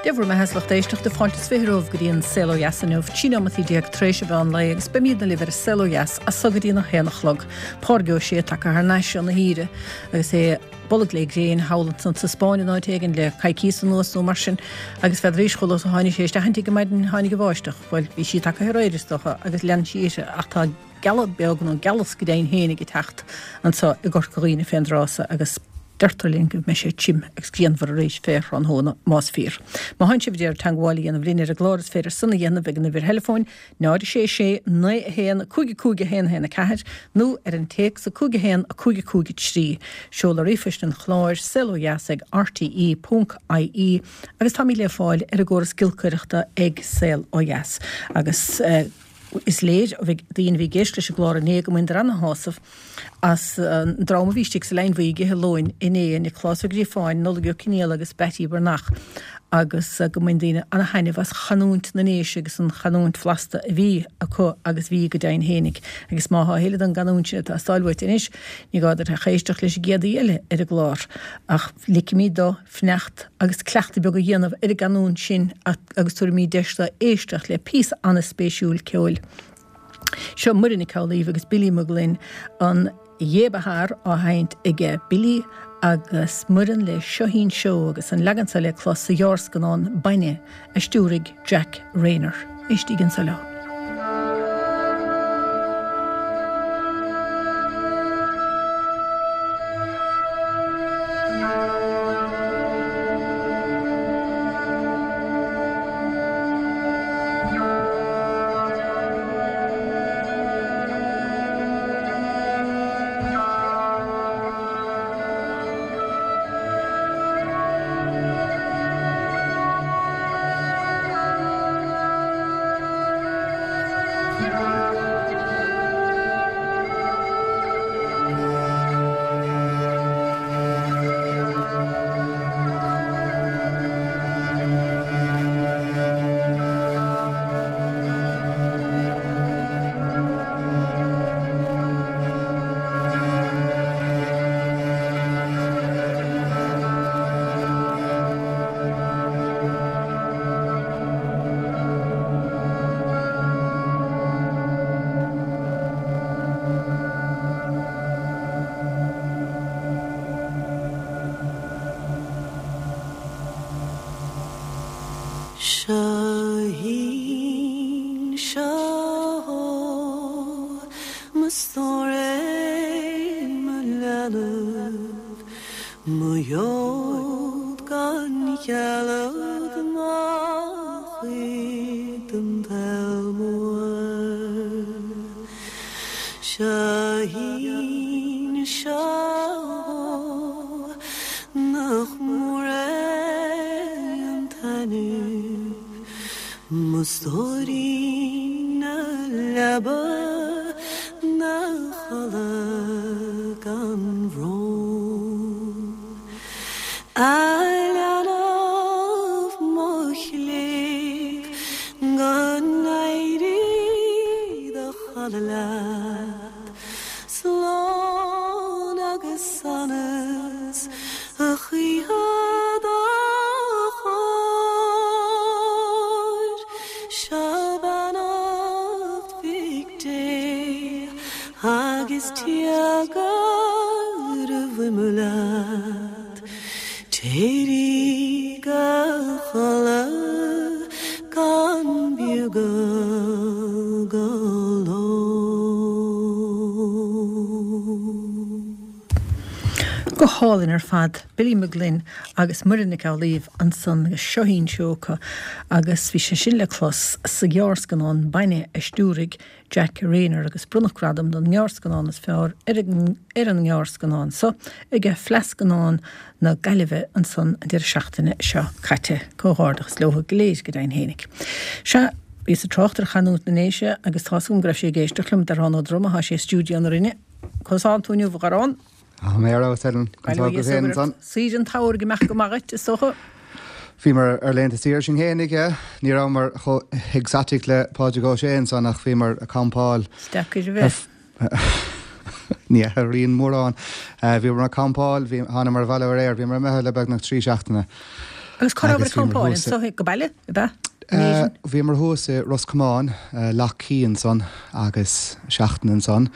Dia bhur mbeatha is lucht éisteachta, fáilte is 20 romhaibh go dtí an Saol Ó Dheas inniu, 13 neomataí tar éis an mheán lae agus beimídne libh ar an Saol Ó Dheas as so go dtí an 1 a chlog. Pádraig Ó Sé tagtha thar n-ais óna shaoire agus é bolg le gréin thall ansan sa Spáinn in áit éigin le coicíos anuas nó mar sin agus n'fheadaraís chomh luath is a tháinig sé isteach an tigh ar maidin tháinig an bháisteach. Bhuel, bhí sí tagtha aréir is dócha agus lean sí uirthi ach tá gealadh beag nó gealas go deimhin féinig ag teacht anso i gCorca Dhuibhne fén dtráth so agus deirtear linn go mbeidh sé tirim agus grianmhar arís fé thráthnóna, más fíor. Má thánn sibh ag iarraidh teangmháil a dhéanamh linn ar an gclár is féidir san a dhéanamh ag an uimhir theileafóin 0 6 6 9 1 5 5 1 1 4 nó ar an téacs 5 1 5 5 3. Seoladh ríomhphoist an chláir, saolodheas ag rte ponc ie agus táimid le fáil ar an gcóras giolcaireachta ag Saol Ó Dheas agus. Is léir ó daoine a bhí ag éisteacht leis an gclár inné go mbaineadar ana-shásamh as an dream a bhí istigh sa Leidhinn Bhuí ag ithe lóin inné, Nioclás Ó Gríofáin, Nollaig Ó Cionnaola agus Beaití Breathnach agus go mbain daoine ana-thaitneamh as chanúint na nDéise agus an chanúint bhlasta a bhí acu agus bhí go deimhin fhéinig. Agus má thá a thuilleadh den gcanúint sin ag teastáil uait anois, ní gá duit ach éisteacht leis an gcéad aoi eile ar an gclár. Ach ligfimid dó fanacht agus cleachtadh beag a dhéanamh ar an gcanúint sin agus tabharfaimid deis dó éisteacht le píosa an-spéisiúil ceoil. Seo Muireann Nic Amhlaoibh agus Billy Mac Gloinn, an Ghé Ba Thar á sheinnt aige Billy agus Muireann le Seoithín Seó agus an leagan seo le clos sa ghearrscannán Bainne a stiúraigh Jack Reynor. Éistíg anso leo. Seoithín seo mo stór é mo leanbh, mo ghealt gan chealg mo chuid den tsaol mór. Seoithín seo nach mór é an taitneamh, mo stóirín na leaba 'na chodladh gan bhrón. A leanbh mo chléibh go n-éirí do chodladh leat, Slán agus sonas a choíche dá chóir. Seo beannacht Mhic Dé agus tíogar a bhfuil leat. Téirigh a chodladh gan bhiogadh go ló. Go hálainn ar fad, Billy McGlynn agus Muireann Nic Amhlaoibh ansan agus Seoithín Seó acu agus bhí sé sin le clos sa ghearrscannán Bainne a stiúraigh Jack Reynor agus bronnadh gradam don ngearrscannán is fearr ar ar an ngearrscannán so ag Fleadh Scannán na Gaillimhe ansan an deireadh seachtaine seo caite. Comhghairdeachas leo go léir go deimhin fhéinig. Sea, bhíos ag trácht ar chanúint na nDéise agus tá's agam go raibh sé ag éisteacht liom, Darán Ó Droma, thá sé i stiúideo na Rinne. Conas thánn tú inniu, a Dharán? Tá mé ar fheabhas, Helen. Bail ó Dhia is ort. Saoire an tsamhraidh ag imeacht go maith dhuit, is dócha? Bhíomar ar laethanta saoire sinn fhéinig, yeah. Ní rabhamar chomh exotic le Pádraig Ó Sé ansan ach bhíomar ag campáil. Is deacair a bheith. Ní athraíonn mórán. Bhíomar ag campáil, thánamar abhaile aréir, bhíomar imithe le beagnach 3 seachtaine. Agus cá rabhabhair ag campáil anso go baile, ab ea? Bhíomar thuas i Ros Comáin, Lough Key ansan agus seachtain ansan.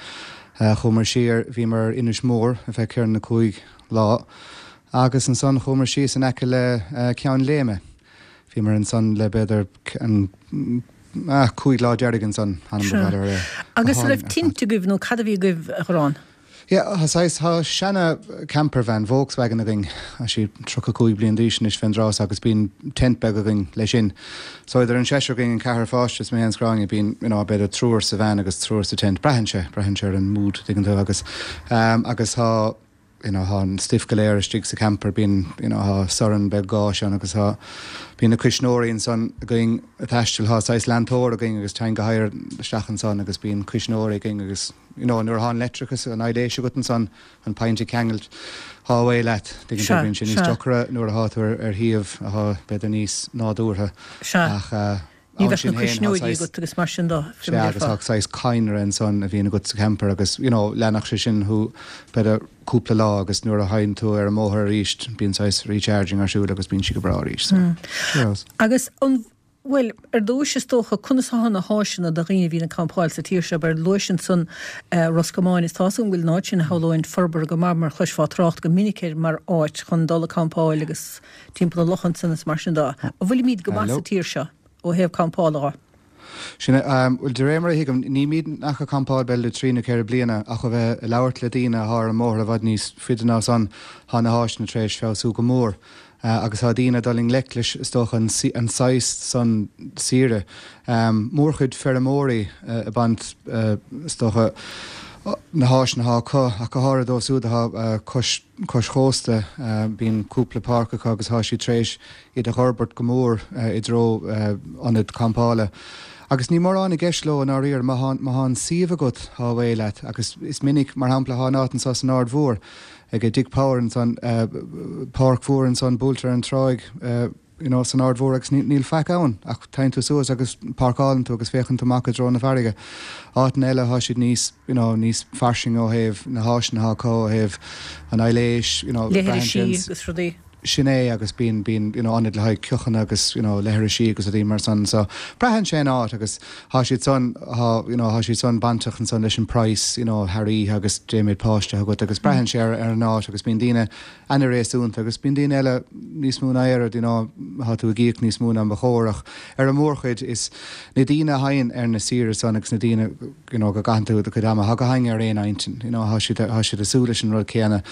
Chuamar siar, bhíomar ar Inis Mór ar feadh ceithre nó cúig lá agus ansan chuamar síos in aice le Ceann Léime. Bhíomar ansan le b'fhéidir an 5 lá deiridh ansan, th'anam go bhfeadar é. Agus an raibh tinte agaibh nó cad a bhí agaibh a Ghráinne? Yeah, tá saghas, tá seana camper van, Volkswagen againn, tá sí 35 bliain d'aois anois fén dtráth so agus bíonn tent beag againn leis sin. So idir an seisear againn, an ceathrar pháiste is mé féin is Gráinne, bíonn, you know, b'fhéidir triúr sa veain agus triúr sa tent. Braitheann sé, braitheann sé ar an mood, tuigeann tú, agus, agus tá, you know, tá an stuif go léir istigh sa camper, bíonn, you know, tá sorn beag gáis ann agus tá, bíonn na cuisneoirí ansan againn ag taisteal, tá saghas leantóir againn agus teann go hadhar isteach ansan agus bíonn cuisneoirí againn agus, you know, nuair atá an leictreachas, an aibhléis agat ansan, an pointe ceangailt, tá away leat, tuigeann tú, bíonn sé níos deacra nuair atá tú ar shuíomh atá b'fhéidir níos nádúrtha ach, Ní bheadh na cuisneoirí agat agus mar sin de. Sea, agus tá saghas cadhnra ansan a bhíonn agat sa camper agus, you know, leanfadh sé sin thú b'fhéidir cúpla lá agus nuair a thagann tú ar an mbóthar arís bíonn saghas recharging ar siúl agus bíonn sí go breá arís. So, sure. Agus an, bhuel, ar dtúis is dócha, conas atá na háiseanna do dhaoine a bhíonn ag campáil sa tír seo? Abair, luais ansan Ros Comáin, is tá's agam go bhfuil an áit sin, shamhlóinn, forbartha go maith mar chloisfeá trácht go minic air mar áit chun dul ag campáil agus, timpeall na locha ansan is mar sin de. An bhfuilimíd go maith sa tír seo ó thaobh campála dhe? Sin é. Bhuel, de réir mar a thuigim, nílimid ach ag campáil b'fhéidir le trí nó ceithre bliana ach ó bheith ag labhairt le daoine athá ar an mbóthar i bhfad níos faide ná san, thá na háiseanna tar éis feabhsú go mór agus thá daoine ag dul i ngleic leis, is dócha, an saghas san saoire. Mórchuid feirmeoirí ag baint, is dócha, na háiseanna athá acu, ach go háirithe dóibh siúd athá cois cois chósta. Bíonn cúpla páirc acu agus tá siad tar éis iad a dh'fhorbairt go mór i dtreo ionad campála. Agus níl mórán i gceist leo i ndáiríre. Má tá, má tá an suíomh agat, tá away leat. Agus is minic, mar shampla, tá an áit anso san Aird Mhór, ag Dick Power ansan, páirc mhór ansan buailte ar an tráigh, you know, san Aird Mhór agus níl faic ann ach téann tú suas agus páirceálann tú agus féachann tú amach i dtreo na farraige. Áiteanna eile thá siad níos, you know, níos fairsinge ó thaobh na háiseanna athá acu, ó thaobh an aibhléis, you know, braitheann sé Leithrisí agus rudaí. Sin é agus bíonn, bíonn, you know, ionaid le haghaidh ceochanna agus, you know, leithrisí agus rudaí mar san. So, braitheann sé an áit agus thá siad san, thá, you know, thá siad san bainteach ansan leis an praghas, you know, thar oíche agus dé méid páiste agat agus braitheann sé ar, ar an áit agus bíonn daoine, ana-réasúnta agus bíonn daoine eile níos mó ná oiread, you know, thá tú ag íoc níos mó ná ba chóir ach ar an mórchuid is na daoine a thagann ar na saoire san agus na daoine, you know, go gcaitheann tú do chuid ama, thá gach éinne ar aon intinn, you know, thá siad, thá siad ag súil leis an rud céanna.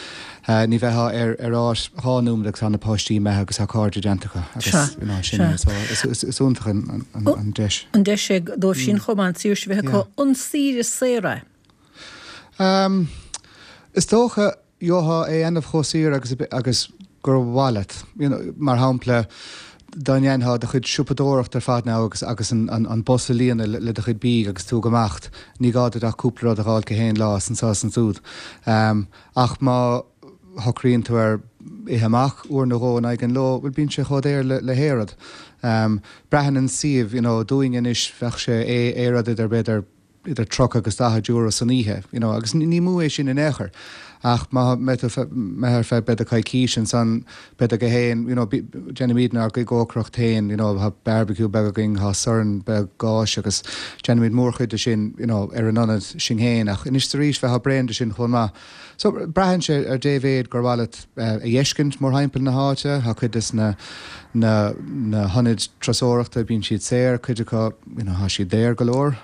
Ní bheifeá ar, ar áit dhá nóiméad agus thá na páistí imithe agus thá cairde déanta acu agus, you know, sin é, so is, is, is iontach an, an, an deis. An deis é dóibh sin chomh maith an tsaoirse a bheith acu an saoire saor é? Is dócha, Gheofá é a dhéanamh chomh saor agus agus gur mhaith leat. You know, mar shampla, dá ndéanfá do chuid siopadóireachta ar fad now agus agus an an an bus a líonadh le le do chuid bídh agus tú ag imeacht, ní gá duit ach cúpla rud a dh'fháil gach aon lá is anso is ansúd. Ach má shocraíonn tú ar ithe amach uair nó dhó in aghaidh an ló, bhuel bíonn sé chomh daor le le haon rud. Braitheann an suíomh, you know, dúinne anois bheadh sé aon rud idir b'fhéidir idir 30 agus 40 euro san oíche, you know, agus ní mó é sin in aon chor. Ach má mbeidh tú imithe ar feadh b'fhéidir coicís ansan, b'fhéidir go haon, you know, déanaimid ár gcuid cócaireacht féin, you know, tá barbecue beag againn, tá sorn beag gáis agus déanaimid mórchuid de sin, you know, ar an ionad sinn féin. Ach anois is arís bheifeá bréan de sin chomh maith. So, braitheann sé ar dé mhéid gur mhaith leat a dh'fheiscint mórthimpeall na háite. Tá cuid des na na na hionaid turasóireachta, bíonn siad saor, cuid acu, you know, tá siad daor go leor.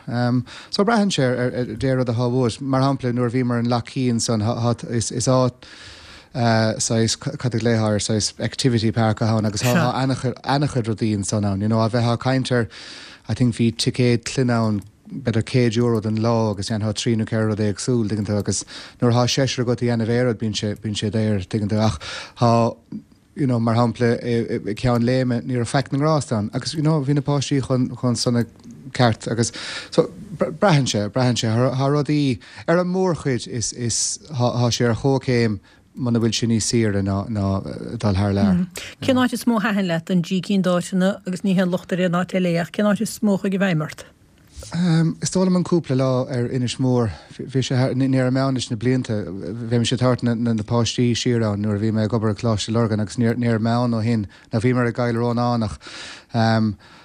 So, braitheann sé ar ar dé rud athá uait. Mar shampla, nuair a bhíomar in Lough Key ansan, tá tá is is áit saghas, cad a ghlaofá air, saghas activity park athá ann agus tá tá ana-chuid ana-chuid rudaí ansan ann, you know, a bheifeá ag caint ar, I think bhí ticéad clainne ann, b'fhéidir €100 don lá agus dhéanfá trí nó ceithre rud éagsúil, tuigeann tú, agus nuair athá seisear agat a dhéanamh aon rud bíonn sé, bíonn sé daor, tuigeann tú, ach thá, you know, mar shampla i gCeann Léime ní raibh faic na ngrást ann agus, you know, bhí na páistí chun, chun sona ceart agus so braitheann sé, braitheann sé, thá rudaí, ar an mórchuid is, is, thá, thá sé ar chomhchéim muna bhfuil sé níos saoire ná, ná dul thar lear. Cén áit is mó a thaitin leat den dtrí cinn d'áiteanna agus ní haon locht ar aon áit eile é ach cén áit is mó a chuaigh i bhfeidhm ort? Is dóigh liom an cúpla lá ar Inis Mór, bhí sé thar, ní raibh mé ann leis na blianta, bheimis ag tabhairt na páistí siar ann nuair a bhí mé ag obair i Coláiste Lurgan agus ní raibh mé ann ó shin, nó bhíomar i gCoill Rónáin ach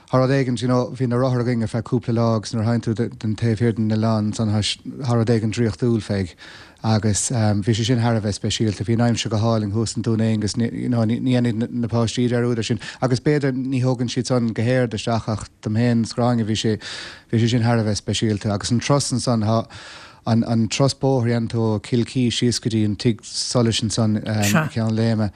tá rud éigin, you know, bhí na rothair againn ar feadh cúpla lá agus nuair a thagann tú den taobh thiar den oileán ansan tá rud éigin draíochtúil fé. Agus bhí sé sin thar a bheith speisialta. Bhí an aimsir go hálainn thuas in Dún Aengus, you know, ní dhéanfaidh na páistí dearúd air sin. Agus b'fhéidir ní thógann siad san go hard isteach ach dom féin is Gráinne bhí sé, bhí sé sin thar a bheith speisialta. Agus an turas ansan, tá an, an turas bóthair a dhéanann tú ó Cill Chi síos go dtí an tigh solais ansan i gCeann Léime.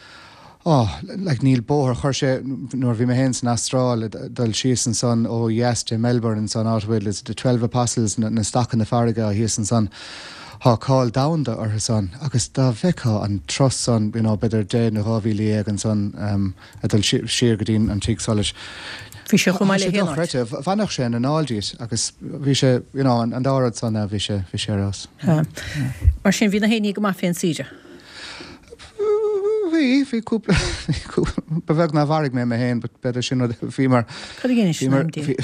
Oh, like níl bóthar, chuir sé, nuair a bhí mé féin san Astráil, dul síos ansan ó dheas de Melbourne ansan, áit a bhfuil, is it the 12 Apostles, na, na stacanna farraige thíos ansan, thá cáil domhanda orthu san agus dá bhfeictheá an turas san, you know, b'fhéidir 10 nó 12,000 ansan um, ag dul siar go dtí an tigh solais. Bhí sé chomh maith le haon áit. Dochreidte, bhainfeadh sé an anáil díot agus bhí sé, you know, an, an dá rud san, bhí sé, bhí sé ar fheabhas. Mar sin bhí na héinní go maith fén saoire. Bhí, bhí cúpla, ba bheag nár mharaigh mé mé féin, but b'fhéidir sin rud, bhí mar, Cad a dhéanfaidh sin am di?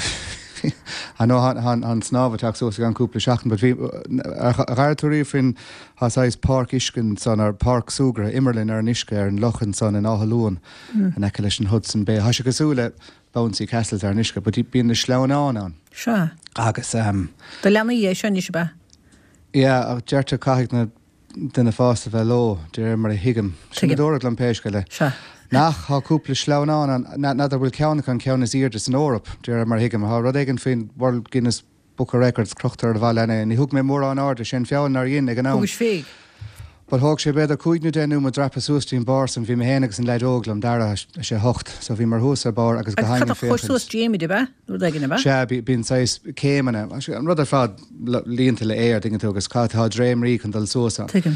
I know tá an snámh ag teacht suas i gceann cúpla seachtain, but bhí, ar dh'airigh tú riamh faoin, tá saghas páirc uisce ansan, or páirc súgartha, imearlann ar an uisce ar an loch ansan in Áth Luain, in aice leis an Hudson Bay. Tá sé cosúil le bouncy castles ar an uisce, but bíonn na sleamhnáin ann. Sea. Agus, um. Do leanaí é seo anois, ab ea? Yeah, ach deirtear caithfidh na duine fásta bheith leo, de réir mar a thuigim. Sin a dúradh liom pé scéal é. Sea. Nach, tá cúpla sleamhnán ann, n'fheadar bhfuil ceann acu an ceann is airde san Eoraip, de réir mar a thuigim. Tá rud éigin faoin World Guinness Book of Records crochta ar an bhalla ann. Ní thug mé mórán airde, sé an feall nár dhein ag an am. Thugais féig. But thóg sé b'fhéidir cúig nó deich nóiméad dreapadh suas dtí'n barr san. Bhí mé féin agus an leaid óg liom, Dara, a sé hocht, so bhíomar thuas ar barr agus go Agus hainn cad ag a chuir féachaint. suas Jamie, ab ea? Nó rud éigin, ab ea? Sea, bíonn saghas céimeanna, an rud ar fad. líonta le aer, tuigeann tú, agus tá dréimrí chun dul suas ann. Tuigim.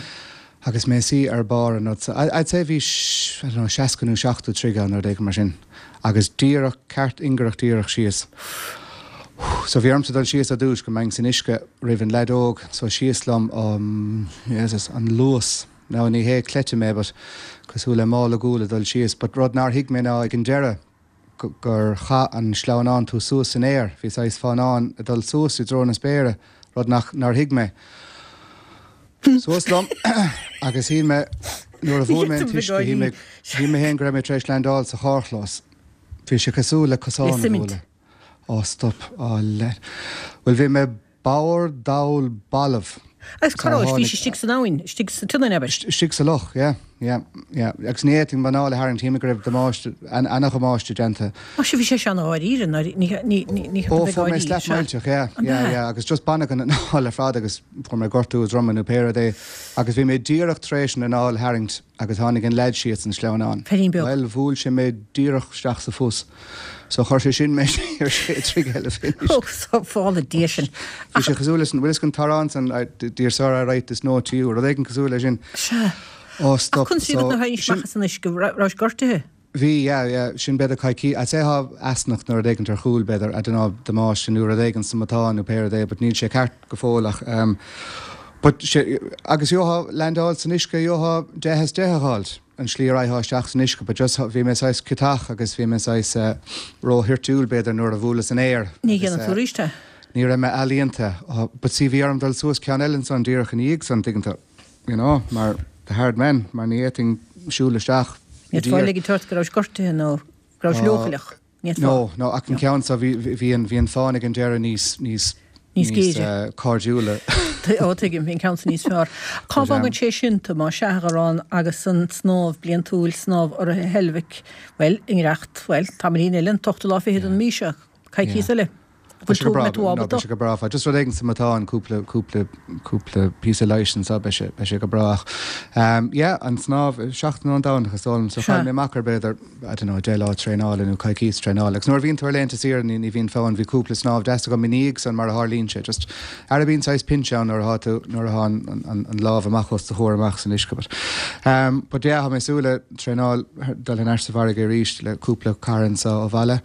Agus mé suí ar barr an rud so, I'd say bhí, I don't know, 60 nó 70 troigh ann, rud éigin mar sin. Agus díreach, ceart ingearach díreach síos. So bhí ormsa dul síos ar dtúis go mbeinn san uisce roimh an leaid óg, so síos liom, oh, Jesus, an luas. Now ní hé cleite mé but cosúil le mála guail ag dul síos, but rud nár thuig mé ná ag an deireadh, gur chaith an sleamhnán tú suas san aer, bhí saghas fánán ag dul suas i dtreo na spéire, rud nach, nár thuig mé. Suas liom agus shíl mé, nuair a bhuail mé an t-uisce, shíl mé, shíl mé féin go raibh mé tar éis landáil sa charrchlós. Bhí sé cosúil le cosán a bhualadh. Ó stop, á lean. Bhuel bhí mé Bodhar, dall, balbh. Agus cá raibh, bhís istigh san abhainn, istigh sa tSionainn, abair? Istigh sa loch, yeah, yeah, yeah. Agus ní fhéadfainn m'anáil a tharraingt, shíl mé go raibh damáiste, ana-dhamáiste déanta. Ó sea, bhí sé seo ana-dháiríre, ní, ní, ní, ní Ó, fuair mé slap millteach, yeah, yeah, yeah, agus just baineadh an anáil ar fad agus fuair mé gortú droma nó pé rud é. Agus bhí mé díreach tar éis an anáil a tharraingt. Agus tháinig an leaid síos an sleamhnán. Feairín beag. Bhuel, bhuail sé mé díreach isteach sa phus. So chuir sé sin mé siar sé troigh eile fén uisce. Ó, sábhála Dia sinn. Bhí sé cosúil leis an, bhfuil fhios agat an t-amhrán san, Dear sir, I write this note to you, rud éigin cosúil leis sin. Sea. Ó, stop. Ach conas a bhí agat nuair a tháinig amach as an uisce, rabhais gortaithe? Bhí, yeah, yeah, sin b'fhéidir coicís, I'd say thá easnach nó rud éigint ar chúl b'fhéidir, I don't know, damáiste nó rud éigint sa matán nó pé rud é, but níl sé ceart go fóill ach ehm, but sé, agus gheofá landáil san uisce, gheofá 10 as 10 a dh'fháilt, an slí a raghfá isteach san uisce, but just bhí mé saghas ciotach agus bhí mé saghas eh, ró-thoirtiúil b'fhéidir nuair a bhuaileas an aer Ní agus dhéanfaidh tú eh, arís é. ní raibh mé ealaíonta, oh, but see bhí orm dul suas ceann eile ansan díreach ina dhiaidh san, tuigeann tú. you know, mar the hard men, mar ní fhéadfainn siúl isteach i dtír. Ní fhéadfá ligint ort go rabhais gortaithe nó go rabhais leochaileach. Ní fhéadfá. No, no, ach an ceann seo bhí, bhí an, bhí an fán ag an deireadh níos, níos, Níos géire. cairdiúla. Ó, tuigim, bhí an ceann seo níos fearr. Cá bhfágann sé sin tú, más ea, a Gharrán, agus an snámh bliantúil, snámh urraithe Heilbhic, bhuel, i ngiorracht, bhuel, tamaillín eile, an t-ochtú lá fichead den mhí seo, coicíos eile. Beidh sé go breá, no, beidh sé go breá. Just rud éigin sa matán, cúpla, cúpla, cúpla píosa leighis anseo, beidh sé, beidh sé go breá. Ach, um, yeah, an snámh, seachtain ón Domhnach is dóigh liom, so chaill mé amach ar b'fhéidir, I don't know, 10 lá traenála nó coicís traenála. Agus nuair a bhíonn tú ar laethanta saoire ní, ní bhíonn fonn, bhí cúpla snámh deas agam i ndiaidh san mar a tharlaíonn sé. Just, ara bíonn saghas pinch ann nuair atá tú, nuair atá an, an, an lámh amach os do chomhair amach san uisce. But, um, but yeah, tá mé ag súil le traenáil, dul thar n-ais sa bhfarraige arís le cúpla cara anseo ó bhaile.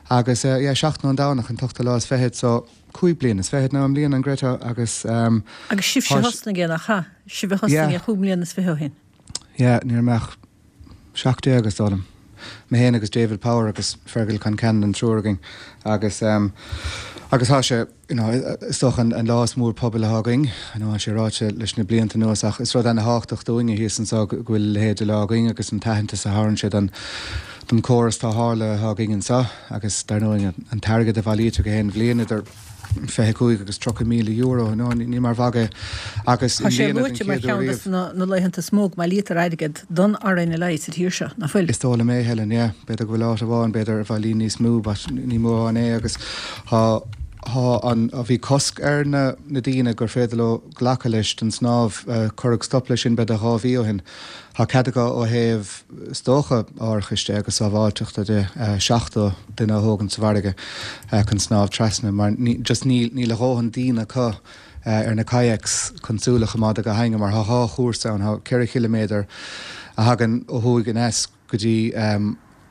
Agus yeah, seachtain ón Domhnach, an t-ochtú lá is fichead, so cúig bliana is fichead now i mbliana, an gcreidfeá, agus ehm. Agus sibhse a thosnaigh é, nach ea? Sibh a thosnaigh é chúig mbliana is fiche ó shin. Yeah, ní raibh mé ach 17 is dóigh liom. Mé féin agus David Power agus Fergal Concannon an triúr againn agus agus tá sé you know is dócha an lá is mór pobail atá againn. I know tá sé ráite leis na blianta anuas ach is rud ana-thábhachtach dúinne thíos anseo go bhfuil a leithéid de lá againn agus an t-aitheantas a thabharann sé don don córas tarrthála atá againn anseo agus dar ndóigh an t-airgead a bhailítear gach aon bhliain idir 25 agus 30,000 euro, no, ní mar mhagadh é. Agus i Tá sé mbliana den luaite mar chéad uair cheann riamh. de na laethanta is mó go mbailítear airgead don RNLI sa tír seo, nach bhfuil? Is dóigh liom é, Helen, yeah. B'fhéidir go bhfuil áit amháin, b'fhéidir, a bhailíonn níos mó, but ní mórán é agus tá, tá an, bhí cosc ar na, na daoine gur féidir leo glacadh leis don snámh, cuireadh stop leis sin b'fhéidir 2 mhí ó shin. Tá cead acu ó thaobh, is dócha, árachais de agus sábháilteachta de, 70 duine a thógaint sa bhfarraige chun snámh trasna mar just níl, níl a dhóthain daoine acu ar na kayaks chun súil a choimeád ar gach éinne mar tá dhá chúrsa ann, tá 4 chiliméadar a thagann ó thuaidh aneas go dtí,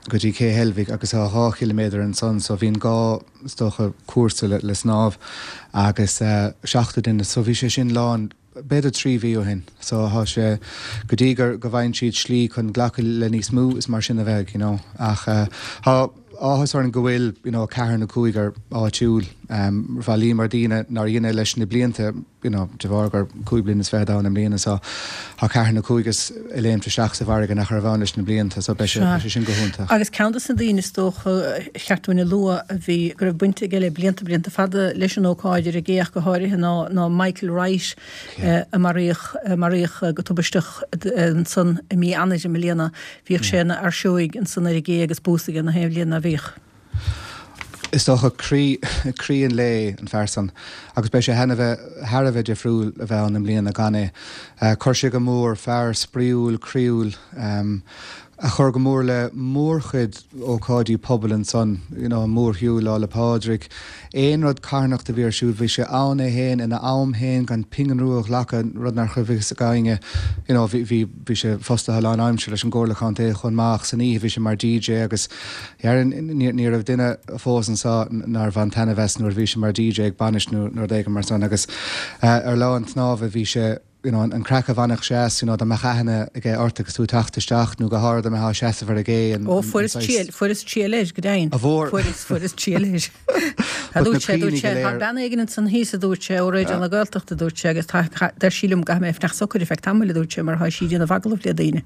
go dtí Cé Heilbhic agus tá 2 chiliméadar ansan so bhíonn dhá, is dócha, cúrsa le snámh agus 70 duine so bhí sé sin lán. b'fhéidir 3 mhí ó shin. So thá sé, go dtí gur, go bhfaigheann siad slí chun glacadh le níos mó, is mar sin a bheidh, you know. Ach thá áthas orainn go bhfuil, you know, ceathrar nó cúigear áitiúil, bhailíomar daoine nár dhein é leis na blianta, you know, de bharr gur 25 bliana ann i mbliana, so thá ceathrar nó cúigear ag léimt isteach sa bhfarraige nach raibh ann leis na blianta, so beidh sé, beidh sé sin go hiontach. Agus ceann de na daoine is dócha a cheart dúinn a lua a bhí, go raibh baint aige le blianta, blianta fada leis an ócáid ar an gcé ach go háirithe ná, ná Michael Wright a maraíodh, a maraíodh go tubaisteach ansan i mí Eanáir i mbliana. Bhíodh sé ina fhear seoigh ansan ar an gcé agus bús aige na haon bhliain ná bhíodh. Is dócha croí, croí an lae an fear san agus beidh sé thar a bheith, thar a bheith difriúil a bheith ann i mbliana gan é. Chuir sé go mór, fear spraíúil, croíúil, a chuir go mór le mórchuid ócáidí pobail ansan, you know, an mórshiúl Lá 'le Pádraig, aon rud carthanachta a bhí ar siúl, bhí sé ann é féin ina am féin gan pingin rua a ghlacadh, rud nach raibh fhios ag éinne, you know, bhí, bhí, bhí sé fostaithe lán-aimsire leis an gComhairle Contae chomh maith ach san oíche bhí sé mar DJ agus dhéarfainn ní raibh duine fós anso nár bhain taitneamh as nuair a bhí sé mar DJ ag bainis nó rud éigin mar san agus ar lá an tsnámha bhí sé you know an craic a bhainfeadh sé as you know dá mbeadh aithne aige ort agus tú ag teacht isteach nó go háirithe dá mbeifeá ag seasamh ar an gcé an Ó fuaireas triail fuaireas triail air go deimhin. A bhfuair? Fuaireas fuaireas triail air. Tá But na dúirt sé cuimhní dúirt sé go tá léir. bean éigin ansan thíos a dúirt sé ó Raidió na Gaeltachta a dúirt sé agus tá deir sí liom go gcaithfidh mé fanacht socair ar feadh tamaill a dúirt sé mar tá sí ag déanamh agallamh le daoine.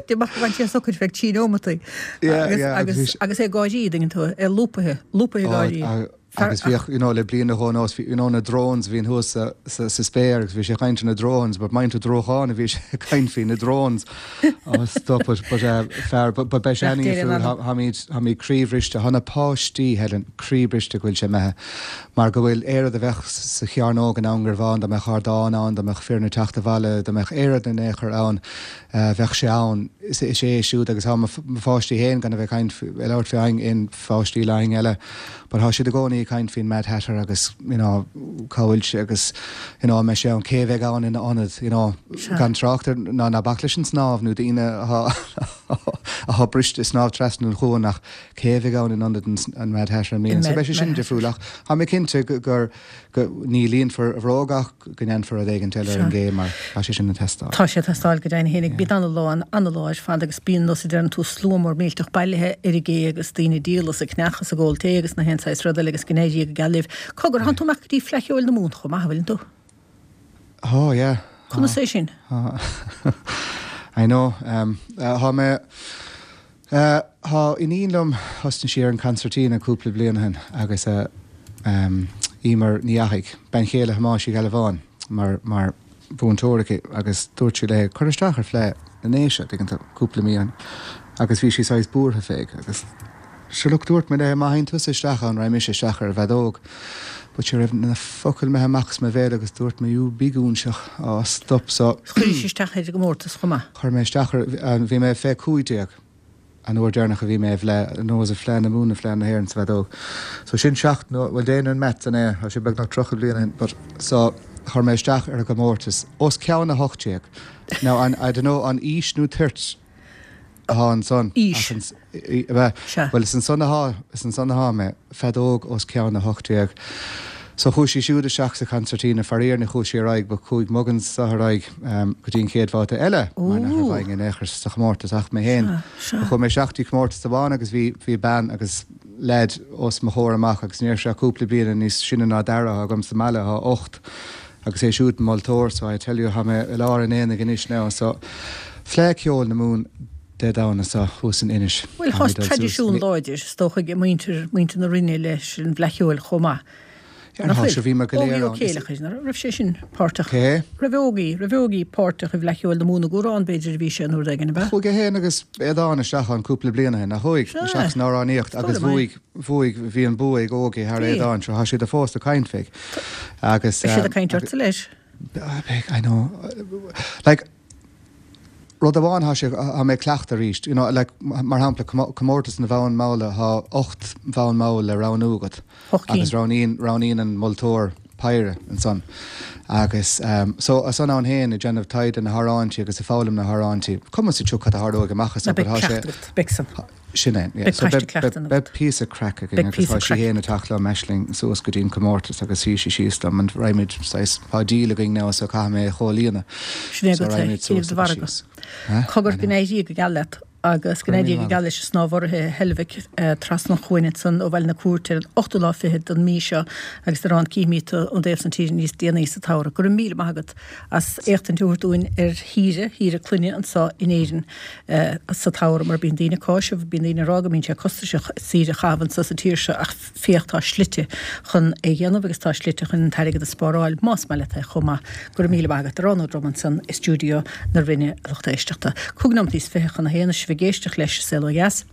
D'imigh bhain sé socair feadh trí neomataí. Yeah, Agus yeah, agus agus bhí sé- agus é ag gáirí, an dtuigeann tú, é lúpaithe, lúpaithe ag Ó, gáirí. a- Agus bhíodh, you know, le bliain nó dhó anuas, bhí, you know, na drones a bhíonn thuas sa, sa, sa spéir agus bhí sé ag caint ar na drones, but mind you drocháin a bhí sé ag caint faoi na drones. Oh, stop it, but, uh, fear, but, but beidh sé Bheadh deireadh an-difriúil, ann. tháimid, tháimid croíbhriste, thá na páistí, Helen, croíbhriste go bhfuil sé imithe, mar go bhfuil aon rud a bheadh sa chearnóg in am gur bhán, dá mbeadh ardán ann, dá mbeadh foireann ag teacht abhaile, dá mbeadh aon rud in aon chor ann, eh, bheadh sé ann. Is, is é siúd agus thá mo, mo pháistí féin gan a bheith ag caint, ag labhairt faoi aon pháistí le éinne eile but thá siad i gcónaí ag caint faoin Mad Hatter agus you know cá bhfuil sé agus you know an mbeidh sé ann, cé a bheidh ann ina ionad you know gan trácht ar ná ná bac leis an snámh nó daoine athá athá briste ag snámh trasna an chuain ach cé a bheidh ann in ionad an an Mad Hatter i mbliana so beidh sé sin difriúil ach thá mé cinnte gur go ní líonfar a bhróg ach go ndéanfar rud éigint eile ar an gcé mar tá sé sin ag teastáil. Tá sé ag teastáil go deimhin fhéinig. Bíonn ana-lá ann, ana-lá ar fad agus bíonn nós a deireann tú slua mór millteach bailithe ar an gcé agus daoine ag díol is ag ceannach is ag ól tae agus na haon saghas rud eile agus go n-éirí go geal libh. Cogar, thánn tú amach go dtí Fleadh Cheoil na Mumhan chomh maith, an bhfuileann tú? Tá, yeah. Conas é sin? Tá. I know. Tá mé. Tá iníon liom, thosnaigh sí ar an concertina cúpla bliain ó shin agus Emer Ní Fhathaigh, bean chéile Thomáis Uí Ghealbháin, mar mar mhúinteoir aici agus dúirt sí léi cuir isteach ar Fleadh na nDéise, tuigeann tú, cúpla mí ó shin agus bhí sí saghas buartha fé agus sure look dúirt mé léi má théann tusa isteach ann raghaidh mise isteach ar an bhfeadóg but cha raibh na focail imithe amach as mo bhéal agus dúirt mé you big óinseach, á stop so. Chuiris isteach ar an gcomórtas chomh maith. Chuir mé isteach ar, bhí mé fé 15 an uair deireanach a bhí mé i bhFleadh, nó was it Fleadh na Mumhan nó Fleadh na hÉireann sa bhfeadóg. So sin seacht, nó, bhuel déan an maths an é, tá sé beagnach 30 bliain ó shin, but so chuir mé isteach ar an gcomórtas os ceann 18. Now an, I don't know, an aois nó toirt atá ansan? Aois. Ach an, ab ea? Sea. Bhuel is ansan atá, is ansan atá mé, feadóg os ceann 18. So chuaigh sí siúd isteach sa concertina, faraor ní chuaigh sí ar aghaidh but chuaigh Muggins ar aghaidh go dtí an chéad bhabhta eile mar nach raibh againn in aon chor sa chomórtas ach mé féin. Chuaigh mé isteach dtí comórtas amháin agus bhí bhí bean agus leaid os mo chomhair amach agus ní raibh sé ach cúpla bliana níos sine ná Dara atá agam sa mbaile atá 8 agus é siúd moltóir so I tell you tá mé i lár an aonaigh anois now so Fleadh Ceoil na Mumhan Dé Domhnaigh seo thuas in Inis. Bhuel, tá traidisiún láidir, is dócha, ag muintir, muintir na Rinne leis an bhFleadh Cheoil chomh maith. Nach bhfuil? Sure, bhí mé go léir Ógie Ó ann. Céileachair, an raibh sé sin páirteach? Cé? Raibh Ógie, raibh Ógie páirteach i bhFleadh Cheoil na Mumhan i gCuarán, b'fhéidir, a bhí sé an uair éigin, ab ea? Chuaigh é féin agus Aodán isteach ann cúpla bliain ó shin, nach chuaigh? Sea. Isteach san amhránaíocht Is dóigh agus liom é. bhuaigh, bhuaigh, bhí an bua ag Ógie thar Bhí. Aodán, sure, tá siad fós ag caint fé. Agus, Beidh siad ag caint ortsa leis. Beidh, I know. Like, Rud amháin thá sé, thá mé ag cleachtadh arís, you know, like, mar shampla, comórtas na bhfonn mall, thá 8 bhfonn mall le roghnú agat agus roghnaíonn, roghnaíonn an moltóir péire ansan. Agus so, ansan ann féin ag déanamh taighde na hamhráintí agus ag foghlaim na hamhráintí, cuma sa tsioc cad a tharlóidh amach as Ná but beidh thá sé, cleachtadh agat, beidh san. Sin é, yeah. Beidh So paiste beidh, cleachta beidh, agat. beidh píosa craic againn Beidh agus píosa tá sí craic fhéin agat. ag teacht liom, Aisling, suas go dtí an comórtas agus suí sí síos liom and raghaimid saghas, tá deal againn now so caithfidh mé é a chomhlíonadh. Sin é So agat é, raghaimid cífidh suas do agus mhargadh. síos. Huh? I Cogar go know. n-éirí go geal leat agus go Go raibh n-éirí míle go maith geal agat. leis an Snámh Urraithe i Heilbhic trasna an chuain ansan ó Bhaile na Cúirte ar an ochtú lá fichead den mí seo agus ar an cífimid tú ón dtaobh san tíre níos déanaí sa tsamhradh. Go raibh míle maith agat as éachtaint a thabhairt dúinn ar shaoire, shaoire clainne anso in Éirinn. sa tsamhradh mar bíonn daoine ag cáiseamh, bíonn daoine ag rá go mbíonn sé costasach saoire a chaitheamh anso sa tír seo ach féach tá slite chun é dhéanamh agus tá slite chun an t-airgead a spáráil más maith leat é chomh maith. Go raibh míle maith agat. Odhrán Ó Droma ansan i stiúideo na Rinne a lucht éisteachta. Cúig nóimeataí is 20 chun a haon is sibh ag éisteacht leis An Saol Ó Dheas.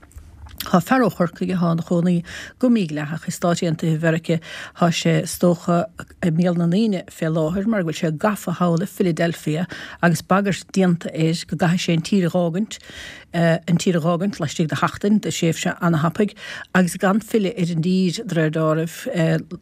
Tá fear ó Chorcaigh atá ina chónaí go mídhleathach i Stáit Aontaithe Mheirice. Tá sé is dócha i mbéal na ndaoine fé láthair mar go bhfuil sé gafa thall i Philadelphia agus bagairt déanta air go gcaithfidh sé an tír a dh'fhágaint, an tír a dh'fhágaint laistigh de sheachtain, de thréimhse ana-thapaidh, agus gan filleadh ar an dtír, de réir deáraimh,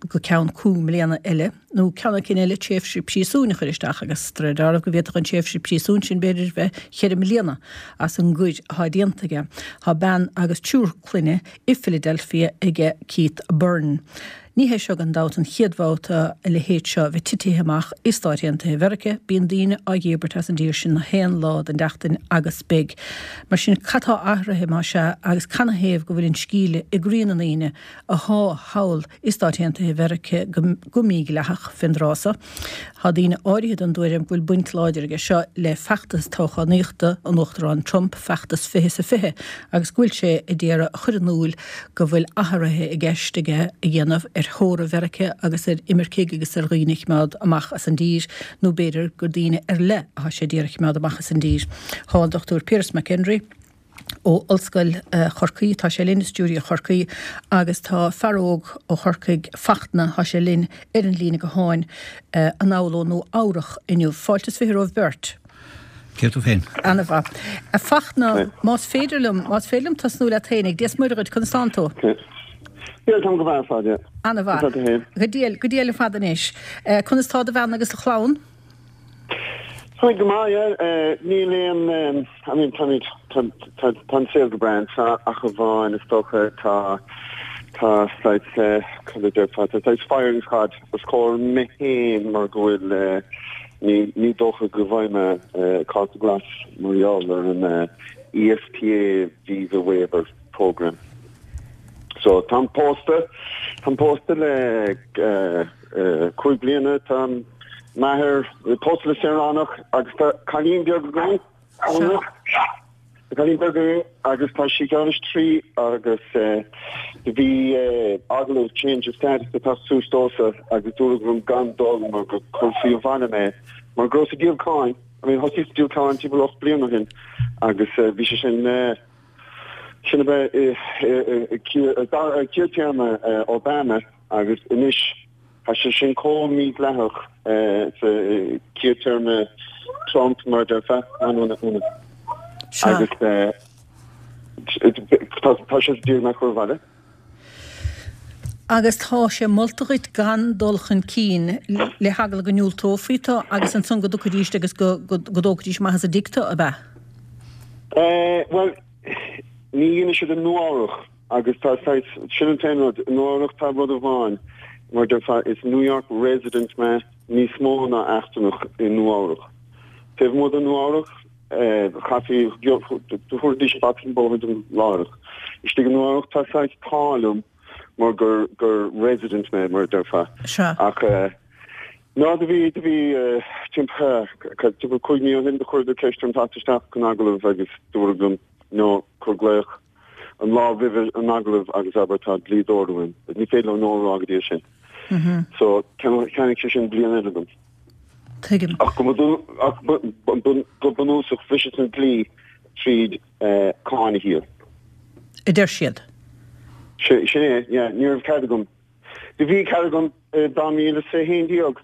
go ceann cúig mbliana eile. nó ceann eicínt eile, tréimhse príosúin a chur isteach agus de réir deáraimh go bhféadfadh an tréimhse príosúin sin b'fhéidir bheith cheithre mbliana as an gcoir atá déanta aige. Tá bean agus triúr clainne i Philadelphia aige Keith Byrne. Ní hé seo gan dabht an chéad bhabhta a leithéid seo a bheith titithe amach i Stáit Aontaithe Mheirice. Bíonn daoine á dhíbirt as an dtír sin na haon lá den tseachtain agus beidh. Mar sin cad tá athraithe más ea agus canathaobh go bhfuil an scíle i gcroí na ndaoine athá thall i Stáit Aontaithe Mheirice go mídhleathach fén dtráth so. Tá daoine áirithe den dtuairim go bhfuil baint láidir aige seo le feachtas toghchánaíochta an Uachtaráin Trump, feachtas 20 is a 20, agus go bhfuil sé a d'iarraidh a chur in iúil go bhfuil athruithe i gceist aige a dhéanamh ar theora Mheirice agus ar imircigh agus ar dhaoine a chimeád amach as an dtír, nó b'fhéidir gur daoine ar leith athá sé d'iarraidh a chimeád amach as an dtír. Tá an Dr Piaras McHenry. ó Ollscoil Chorcaí, tá sé linn i stiúideo Chorcaí agus tá fear óg ó Chorcaigh, Fachtna, tá sé linn ar an líne gutháin anall ó Nua Eabhrach inniu. Fáilte is 20 romhaibh beirt. Cé tú féin? Ana-mhaith. A Fachtna, más féidir liom, más féidir liom tosnú leat fhéinig, Dia 's Muire dhuit, conas tánn tú? Bhuel, táim go maith ar fad, yeah. Ana-mhaith. Conas tá tú féin? Go diail, go diail ar fad anois. Conas tá do bhean agus do chlann? Táimid go maith, yeah. Níl aon, I mean, táimid, tá, tá, tá an saol go breá anseo ach amháin is dócha tá, tá saghas, cad a déarfá, tá saghas firing squad os comhair mé féin mar go bhfuil, ní, ní dócha go bhfaighidh mé cárta glas mar gheall ar an ESTA Visa Waiver Program. So táim pósta, táim pósta le 5 bliana, táim m'athair pósta le saoránach agus tá cailín beag againn, tá cailín beag againn agus tá sí ceann is 3 agus do bhí agallamh change of status ag teacht suas domhsa agus dúradh liom gan dul mar go cuirfí abhaile mé mar go rabhas ag díol cáin, I mean thosaíos ag díol cáin timpeall 8 bliana ó shin agus bhí sé sin sin ab ea i chéad téarma Obama agus anois Tá sé sin chomh mídhleathach sa chéad téarma Trump, mar a déarfá, agus tá sé ag iarraidh mé a chur abhaile. Agus tá sé molta dhuit gan dul chun cinn le heagla go ndiúltófaí tú agus ansan go dtiocfaidís agus go dtógfaidís amach as an dtigh tú, ab ea? Bhuel, ní dhéanfaidh siad i Nua-Eabhrac. Agus tá saghas, sin an t-aon rud, i Nua-Eabhrac tá rud amháin, Mar a déarfá, is New York resident mé níos mó ná eachtrannach i Nua-Eabhrac. Taobh amuigh de Nua-Eabhrac, chaithfí, thabharfaidís bata an bóthair dom láithreach. Istigh i Nua-Eabhrac tá saghas t-ádh liom mar gur gur resident mé, mar a déarfá. Sea. Ach ná do bhí, do bhí timpeall, timpeall 5 mí ó shin do chuireadar ceist orm teacht isteach chun agallaimh agus dúradh liom, no, cuir glaoch an lá roimhe an agallamh agus abair tá dlíodóir uaim. Ní féidir leo no a rá go dtí sin. So cheannaigh sé sin bliain eile dom. Tuigim. Ach go bunúsach bhriseas an dlí tríd cáin a dhíol. A deir siad. Sin é, yeah. Ní raibh cead agam. Do bhí cead agam i 2011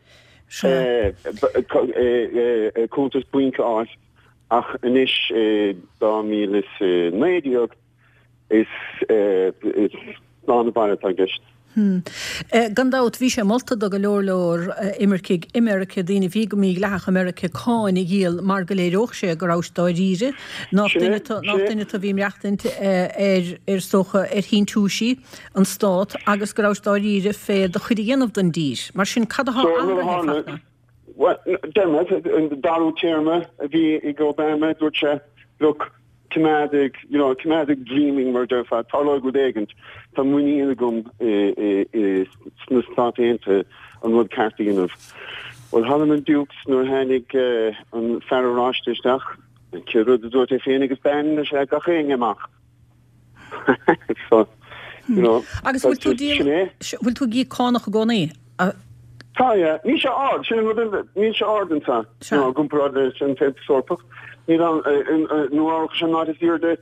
cuntas bainc a fháil ach anois i 2019 is slán abhaile atá i gceist. Gan dabht, bhí sé molta do go leor leor imircigh i Meiriceá, daoine a bhí go mídhleathach i Meiriceá, cáin a dhíol mar go léireodh sé go rabhais dáiríre, nach duine tú, nach duine tú a bhí ag maireachtaint ar, is dócha, ar shíntiúisí an stát agus go rabhais dáiríre fé do chuid a dhéanamh don dtír. Mar sin, cad atá athraithe, a Fachtna? Bhuel, Dermot, an darú téarma a bhí ag Obama, dúirt sé, look, coimeád ag, you know, coimeád ag dreaming mar a déarfá, tarlóidh rud éigint. Tá muinín agam i sna Stáit Aontaithe an rud ceart a dhéanamh. Bhuel, thall in Dukes nuair a tháinig an fear oráiste isteach, an chéad rud a dúirt é féin agus bean, is ea gach éinne amach. So, you know, Agus bhfuil tú ag sin é. Bhfuil tú ag íoc cánach i gcónaí? Tá, yeah. Níl sé ard, sin an rud, níl sé ard anseo, you know, i gcomparáid leis an Aontas Eorpach. Níl ann, Nua-Eabhrac is an áit is airde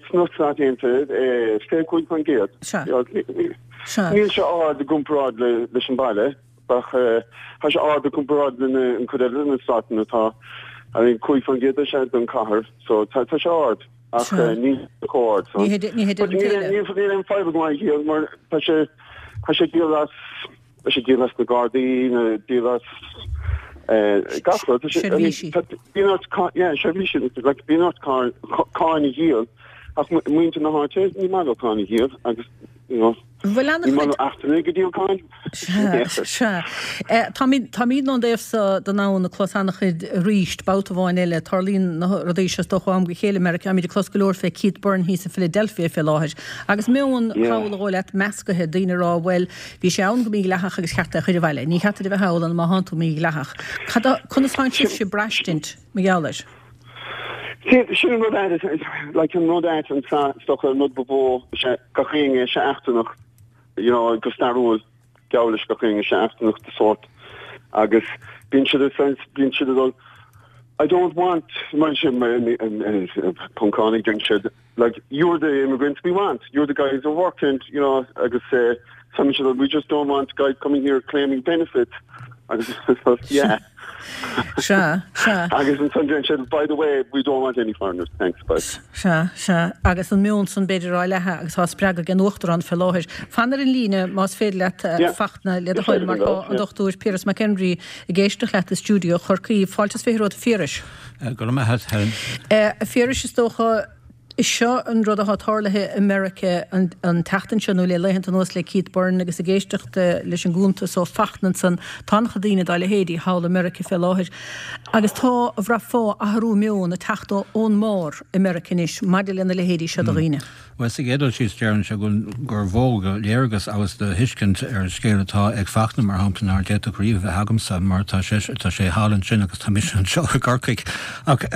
sna Stáit Aontaithe, 25%. Sea. Sea. Níl sé ard i gcomparáid leis an baile, ach tá sé ard i gcomparáid le an cuid eile de na státanna atá, I mean, 5% is ea don chathair, so tá sé ard. Ach níl sé chomh hard san. Ní hé But níl aon fadhb agam é a dhíol mar tá sé tá sé díol as tá sé díol as na Gardaí nó díol as gach rud. Tá sé Seirbhísí. Bíonn ort yeah seirbhísí like bíonn ort cáin a dhíol ach muintir na háite ní maith leo cáin a dhíol agus you know Bhuel Ní maith le eachtrannaigh ag díol cáin. Sea, sea. Táimid, táimid ón dtaobh so den abhainn ag clos an-chuid arís, babhta amháin eile. Tarlaíonn na rudaí seo is dócha ó am go chéile i Meiriceá. Táimid ag clos go leor fé Keith Byrne thíos i Philadelphia fé láthair. Agus meon, shamhail a dhóigh leat, meascaithe, daoine ag rá, bhuel, bhí sé ann go mídhleathach agus cheart é a chur abhaile. Ní cheart duit a bheith thall ann má thánn tú mídhleathach. Cad a, conas tánn sibhse ag braistint mar gheall air? Sin an rud ait, like an rud ait anso, is dócha an rud ba mhó, is ea gach éinne is ea eachtrannach, you know, go stairiúil, geall leis gach éinne is ea eachtrannach de sórt agus bíonn siad ag saint, bíonn siad ag dul, I don't want, mar sin, Poncánaigh, deireann siad, like, you're the immigrants we want, you're the guys who work and, you know, agus eh, some siad, we just don't want guys coming here claiming benefits. Agus, yeah. Sea, sea. Agus ansan deireann siad, by the way, we don't want any foreigners, thanks, bye. Sea, sea. Agus an meon san b'fhéidir á leathadh agus á spreagadh ag an Uachtarán fé láthair. Fan ar an líne más féidir leat, a Fachtna, le do thoil, mar tá an Dr Piaras Mac Einrí ag éisteacht leat i stiúideo Chorcaí. Fáilte is 20 romhat a Phiarais. Go raibh maith agat, Helen. A Phiarais, is dócha, is seo an rud atá tarlaithe i Meiriceá an tseachtain seo, nó le laethanta anuas le Keith Byrne agus ag éisteacht leis an gcuntas ó Fachtna ansan, tá an-chuid daoine dá leithéidí thall i Meiriceá fé láthair. Agus tá, a bhraithfeá, athrú meoin ag teacht ón mbarr i Meiriceá anois maidir lena leithéidí seo de dhaoine. Bhuel, sa gcéad dul síos, déarfainnse gur mhó de léargas agus de thuiscint ar an scéal atá ag Fachtna, mar shampla, nár d'fhéadfadh riamh a bheith agamsa, mar tá sé, tá sé thall ansin agus tá mise anseo i gCorcaigh. Ach,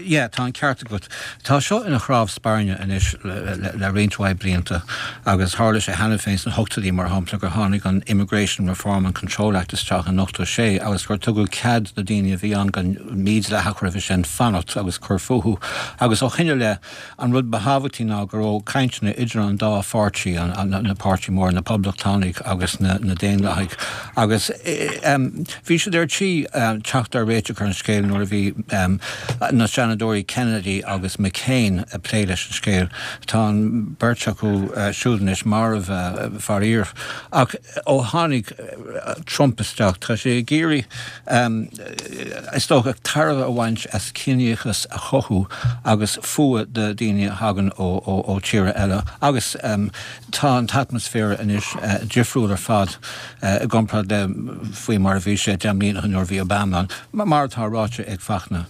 yeah, tá an ceart agat. Tá seo ina chnámh spairne anois le roinnt mhaith blianta agus tharla sé cheana féin sna hochtóidí, mar shampla, gur tháinig an Immigration Reform and Control Act isteach in 86 agus gur tugadh cead do daoine a bhí ann go mídhleathach roimhe sin fanacht agus cur fúthu agus ó shin i leith An rud ba thábhachtaí ná go raibh cainteanna idir an dá pháirtí, na páirtí mór, na Poblachtánaigh agus na Daonlathaigh, agus bhí siad ar tí teacht ar réiteach ar an scéal nuair a bhí na Seanadóirí Kennedy agus McCain ag plé leis an scéal. Tá an bheirt acu siúd anois marbh, faraor. Ach ó tháinig Trump isteach, tá sé ag iarraidh, is dócha, tairbhe a bhaint as ciníochas a chothú agus fuath do dhaoine a thagann ó tíortha. tíortha eile agus tá an t-atmaisféar anois difriúil ar fad i gcomparáid le faoi mar a bhí sé 10 mbliana ó shin nuair a bhí Obama ann, mar atá ráite ag Fachtna.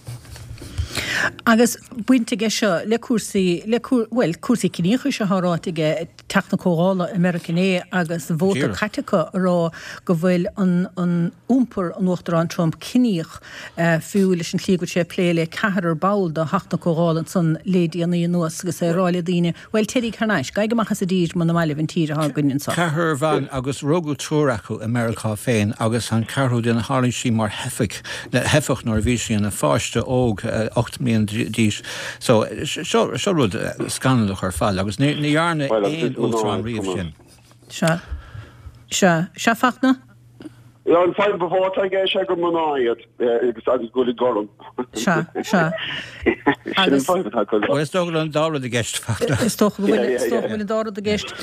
Agus baint aige seo le cúrsaí, le, bhuel, cúrsaí ciníochais atá ráite aige, Teach na Comhdhála i Meiriceá inné agus vóta caite acu a rá go bhfuil an an iompar an Uachtaráin Trump ciníoch, fiú leis an tslí go bhfuil sé ag plé le ceathrar ball de Theach na Comhdhála ansan le déanaí anuas agus é ag rá le daoine, bhuel, téiríg thar n-ais, gabhaig amach as an dtír muna maith libh an tír atá againn anso. Ceathrar bhan agus rugadh triúr acu i Meiriceá féin agus an ceathrú duine tháinig sí mar theifigh, theifeach nuair a bhí sí ina pháiste óg, 8 mbliana d'aois. So, seo, seo rud scannalach ar fad agus ní, ní dhearna aon uachtarán riamh sin. Sea. Sea. Sea, Fachtna? An fadhb ba mhó atá aige is ea gur mná iad agus agus go bhfuil gorm. Sea, sea. Sin an fadhb atá acu. Bhuel, is dócha go bhfuil an dá rud i gceist, Fachtna. Is dócha go bhfuil, is dócha go bhfuil an dá rud i gceist.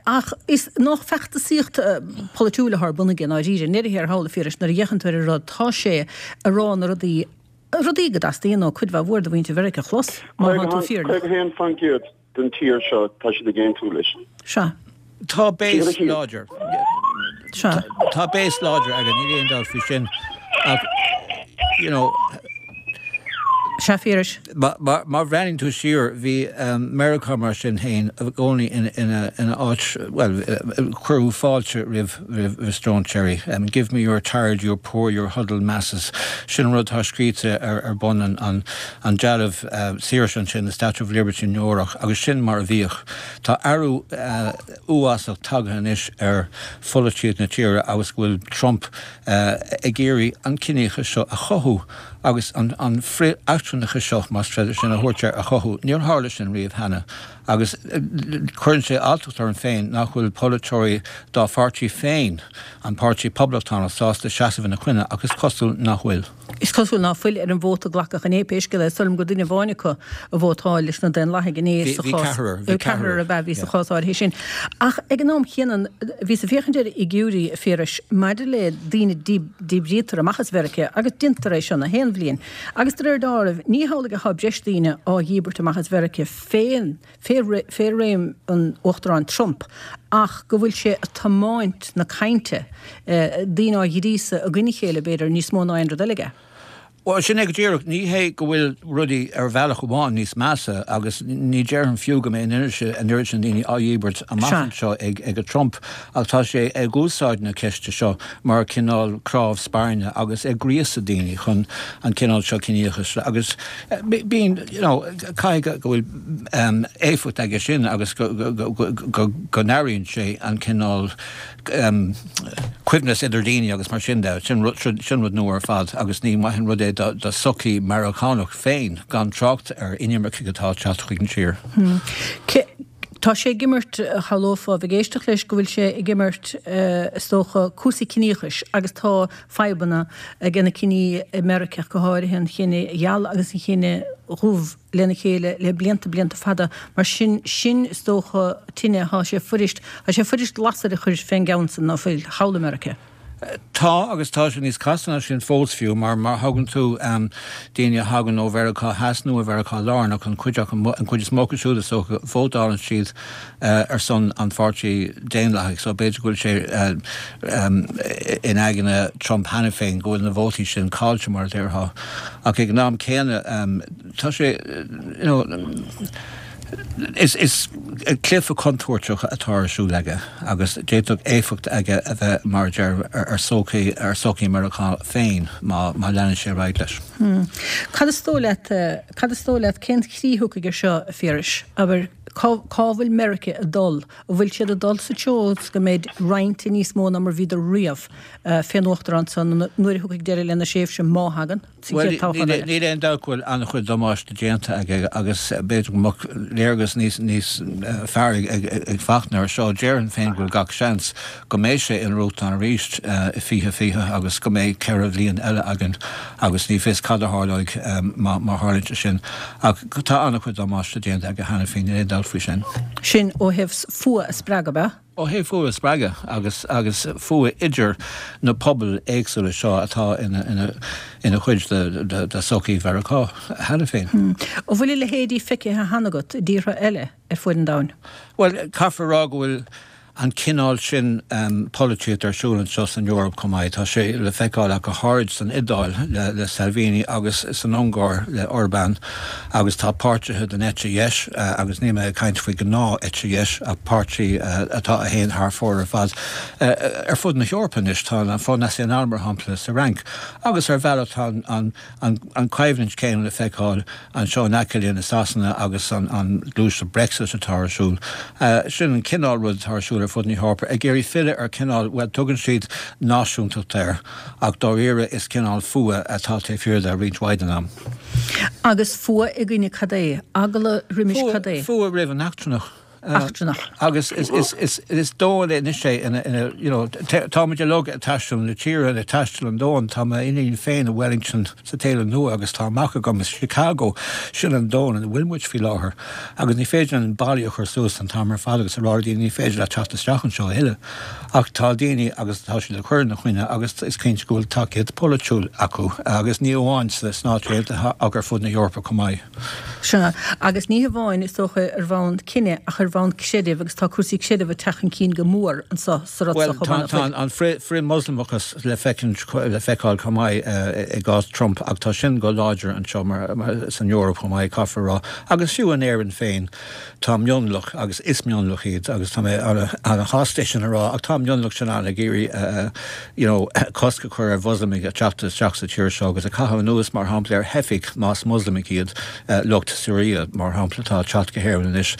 Ach is nach feachtasaíocht polaitiúil atá ar bun aige i ndáiríre, i ndeireadh thiar thall, a Phiarais, nuair a fhéachann tú ar an rud, tá sé ag rá na rudaí, rudaí go dteastaíonn ó cuid mhaith mhór de mhuintir Mheiriceá a chlos, má tá tú fírinneach. 51% den tír seo, tá siad ag aontú leis. Sea. Tá base láidir. Sea. Tá base láidir aige, níl aon dabht faoi sin. Ach, you know. Sea, a Phiarais. Má bhreathnaíonn tú siar, bhí Meiriceá mar sin féin i gcónaí ina áit, bhuel, cuireadh fáilte roimh stróinséirí. Give me your tired, your poor, your huddled masses. Sin an rud atá scríte ar bun an dealbh saoirse ansin, the Statue of Liberty in Nua Eabhrac, agus sin mar a bhíodh. Tá athrú uafásach tagtha anois ar pholaitíocht na tíre agus go bhfuil Trump ag iarraidh an ciníochas seo a chothú. Agus an frith-eachtrannachas seo, más féidir sin a thabhairt air, a chothú, níor tharla sin riamh cheana. Agus cuireann sé alltacht orm féin nach bhfuil polaiteoirí dá pháirtí féin, an Páirtí Poblachtánach, sásta seasamh ina choinne, ach is cosúil nach bhfuil. Is cosúil ná fuil ar an vóta a glacadh inné, pé scéal é. Is dóigh liom gur duine amháin acu a vótáil leis na Daonlathaigh inné sa chás. Bhí ceathrar, bhí ceathrar ab ea a bhí sa chás áirithe sin. Ach ag an am chéanna, bhíos ag féachaint ar fhigiúirí, a Phiarais, maidir le daoine díbrítear amach as Mheiriceá agus déantar é seo na haon bhliain. Agus de réir dealraimh, ní hamhlaidh atá breis daoine á dhíbirt amach as Mheiriceá fén, fé, fé réim an Uachtaráin Trump ach go bhfuil sé ag tiomáint na cainte, daoine á ghríosadh i gcoinne a chéile, b'fhéidir, níos mó ná aon rud eile aige. Bhuel, sin é go díreach. Ní hé go bhfuil rudaí ar bhealach amháin níos measa, agus ní déarfainn fiú go mbeidh an oiread sin daoine á dhíbirt amach anseo ag Trump, ach tá sé ag úsáid na ceiste seo mar chineál cnámh spairne agus ag gríosadh daoine chun an cineál seo ciníochais agus bíonn, you know, caithfidh go bhfuil éifeacht aige sin agus go n-airíonn sé an cineál coibhneas idir daoine agus mar sin de. Sin rud nua ar fad agus ní maith an rud é do sochaí Meiriceánach féin, gan trácht ar inimircigh atá ag teacht chuig an tír. Tá sé ag imirt, shamhlófá, a bheith ag éisteacht leis, go bhfuil sé ag imirt, is dócha, cúrsaí ciníochais agus tá fadhbanna ag na ciní i Meiriceá, go háirithe an chine gheal agus an chine dhubh. lena chéile le blianta, blianta fada. Mar sin, sin, is dócha, tine atá sé fuirist, tá sé fuirist lasair a chur fén gceann san, ná fuil, thall i Meiriceá. Tá, agus tá sé níos casta ná sin fós fiú, mar má thagann tú, daoine a thagann ó Mheiriceá Theas nó ó Mheiriceá Lárnach, an chuid acu, an chuid is mó acu siúd is dócha, vótálann siad ar son an Pháirtí Daonlathaigh, so b'fhéidir go bhfuil sé in aigne Trump cheana féin go bhfuil na vótaí sin caillte, mar a déarfá. Ach ag an am céanna, Tá sé, you know, is, is cluiche contúirteach atá ar siúl aige agus d'fhéadfadh éifeacht aige a bheith, mar a deir, ar sochaí, ar sochaí Meiriceá féin má, má leanann sé ar aghaidh leis. Cad is dóigh leat, cad is dóigh leat, cén chrích a thiocfaidh ar seo, a Phiarais? Abair, cá, cá bhfuil Meiriceá ag dul? An bhfuil siad ag dul sa treo is go mbeidh roinnte níos mó ná mar bhíodar riamh fén Uachtarán san nuair a thiocfaidh deireadh lena thréimhse, má thagann? sa chéad toghchán eile. Níl aon dabht go bhfuil an-chuid damáiste déanta aige agus b'fhéidir go mbeadh léargas níos níos fearr ag Fachtna ar seo. Déarfainn féin go bhfuil gach seans go mbeidh sé ina Uachtarán arís i 2020 agus go mbeidh 4 bhliain eile againn agus ní fios cad a tharlóidh má tharlaíonn sé sin. Ach tá an-chuid damáiste déanta aige cheana féin, níl aon dabht faoi sin. Sin ó thaobh fuath a spreagadh, ab ea? Ó thaobh fuath a spreagadh agus agus fuath idir na pobail éagsúla seo atá ina ina ina chuid de de sochaí Mheiriceá cheana féin. An bhfuil a leithéidí feicthe cheana agat i dtíortha eile? ar fuaid an domhain? Bhuel, caithfear a rá go bhfuil an cineál sin polaitíocht ar siúl anseo san Eoraip chomh maith. Tá sé le feiceáil ach go háirid san Iodáil le Salvini agus san Ungáir le Orbán agus tá páirtithe den eite dheis, agus níl mé ag caint faoi gnáth eite dheis ach páirtí atá a théann thar fóir ar fad, ar fud na hEorpa anois. Tá an Front National mar shampla sa Fhrainc agus ar bhealach tá an an choimhlint chéanna le feiceáil anseo in aice linn i Sasana agus an ghluaiseacht Brexit atá ar siúl. Sin an cineál rud atá ar siúl ar fud na hEorpa, ag iarraidh filleadh ar chineál, bhuel, tugann siad náisiúntacht air, ach dáiríre is cineál fuath atá taobh thiar de roinnt mhaith den am. Agus fuath i gcoinne cad é? Eagla roimis cad é? Fuath roimh an eachtrannach. Eachtrannach. Agus is domhan anois é ina, you know, táimid uilig ag taisteal na tíre, ag taisteal an domhain. Tá m'iníon féin i Wellington sa tSéalainn Nua agus tá a mac agam i Chicago. Sin an domhan ina bhfuil muid faoi láthair. Agus ní féidir linn ballaí a chur suas an t-am ar fad agus a rá le daoine ní féidir leat teacht isteach anseo a thuilleadh. Ach tá daoine agus tá siad ag cur ina choinne agus is cinnte go bhfuil tacaíocht pholaitiúil acu agus ní amháin sna Stáit Aontaithe ach ar fud na hEorpa chomh maith. Sea, agus ní hamháin, is dócha, ar bhonn cine ach ar bhonn creidimh agus tá cúrsaí creidimh ag teacht chun cinn go mór anseo sa rud seo chomh maith, nach bhfuil? Bhuel, tá an frith-Mhoslamachas le feiceáil chomh maith i gcás Trump ach tá sin go láidir anseo san Eoraip chomh maith, caithfear a rá, agus fiú in Éirinn féin. Tá mionlach, agus is mionlach iad, agus tá mé ana-shásta é sin a rá, ach tá an mionlach sin ann ag iarraidh you know cosc a chur ar Mhoslamaigh ag teacht isteach sa tír seo agus ag caitheamh anuas, mar shampla, ar theifigh, más Moslamaigh iad, lucht Siria, mar shampla, atá ag teacht go hÉirinn anois.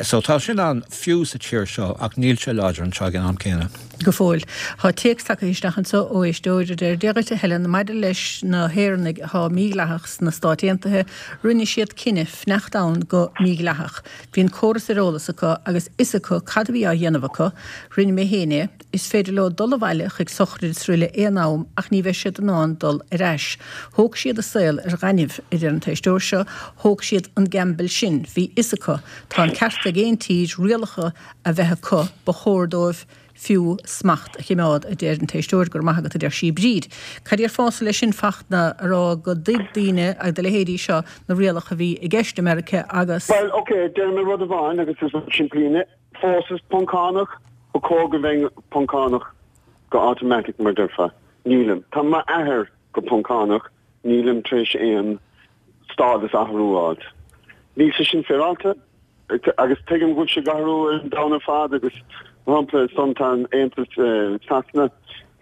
So tá sin ann fiú sa tír seo ach níl sé láidir anseo ag an am céanna. Go fóill. Tá téacs tagtha isteach anseo ó éisteoir a deir, Dia dhuit a Helen, maidir leis na hÉireannaigh atá mídhleathach sna Stáit Aontaithe, rinne siad cinneadh fanacht ann go mídhleathach. Bhí an córas ar eolas acu agus fhios acu cad a bhí á dhéanamh acu. Rinne mé féin é. Is féidir leo dul abhaile chuig sochraid is aroile aon am ach ní bheidh siad in ann dul ar ais. Thóg siad a saol ar ghaineamh, a deir an t-éisteoir seo, thóg siad an gamble sin. Bhí fhios acu. Tá an ceart ag aon tír rialacha a bheith acu, ba chóir dóibh fiú smacht a chimeád, a deir an t-éisteoir. Go raibh maith agat, a deir sí. Bríd, cad déarfása leis sin, Fachtna, a rá go dtuig daoine, agus do leithéidí seo, na rialacha a bhí i gceist i Meiriceá agus. Bhuel, ok, déarfaidh mé rud amháin agus is rud simplí é. Phósas Poncánach, ba chóir go mbeinn Poncánach go automatic mar déarfá. Nílim. Tá m'athair go Poncánach, nílim tar éis aon stádas athrú a fháilt. Níl sé sin féaráilte. Agus tuigim go bhfuil sé ag athrú ar an domhan ar fad agus, mar shampla, san tá an Aontas Sasana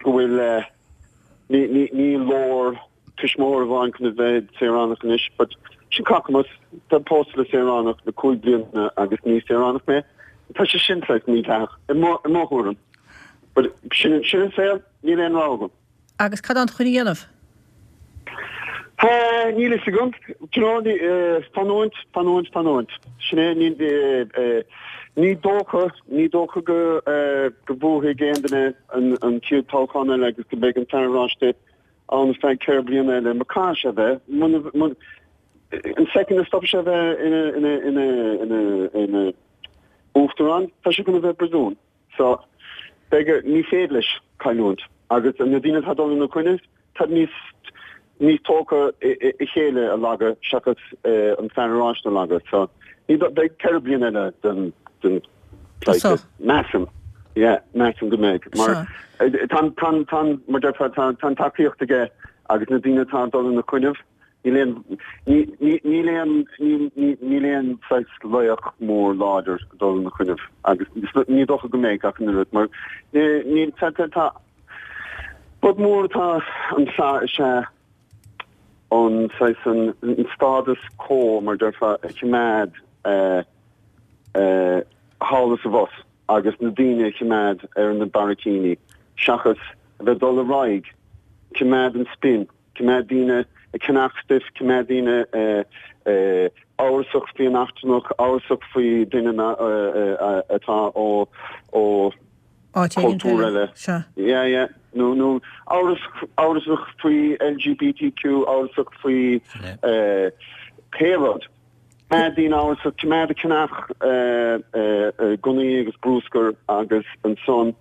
go bhfuil ní ní ní leor tuismitheoir amháin chun a bheith saoránach anois, but sin cacamas, tá pósta le saoránach le 5 bliana agus ní saoránach mé. Tá sé sin saghas mídhleathach i mo i mo thuairim. But sin sin an saol, níl aon rogha agam. Agus cad tánn tú chun a dhéanamh? Níl fhios agam. Do you know, fanúint, fanúint, fanúint. Sin é, ní, ní dócha, ní dócha go, go mbuafaidh aon duine an chéad toghchán eile agus go mbeidh an Fear Oráiste ann ar feadh 4 bliana eile. Mar caithfidh sé a bheith, muna, muna, an second a stopfaidh sé a bheith ina, ina, ina, ina, ina uachtarán, tá sé chun a bheith i bpríosún. So, beidh air, ní féidir leis cailliúint agus na daoine atá ag dul ina choinne, tá níos, níos tógtha a chéile a leagadh seachas an Fear Oráiste a leagadh. So, ní, beidh 4 bliana eile den, den pleidhce. Measaim, yeah, measaim go mbeidh. Mar, tá an, tá an, tá an, mar déarfá, tá, tá an tacaíocht aige agus na daoine atá ag dul ina choinnibh, Níl aon, níl aon, níl aon saghas laoch mór láidir ag dul ina choinnibh agus ní dócha go mbeidh ach an oiread mar níl, tá, tá, tá, rud mór atá anseo is ea an saghas, an status quo mar déarfá a choimeád thall is abhus agus na daoine a choimeád ar na barraicíní seachas a bheith ag dul ar aghaidh, coimeád an spin. Coimeád daoine ag ceannach stuif, coimeád daoine amhrasach faoi an eachtrannach, amhrasach faoi duine atá ó ó chultúr eile. Yeah, yeah. Nó nó amhrasach faoi LGBTQ, amhrasach faoi pé rud. Coimeád daoine amhrasach, coimeád ag ceannach gunnaí agus brúscar agus ansan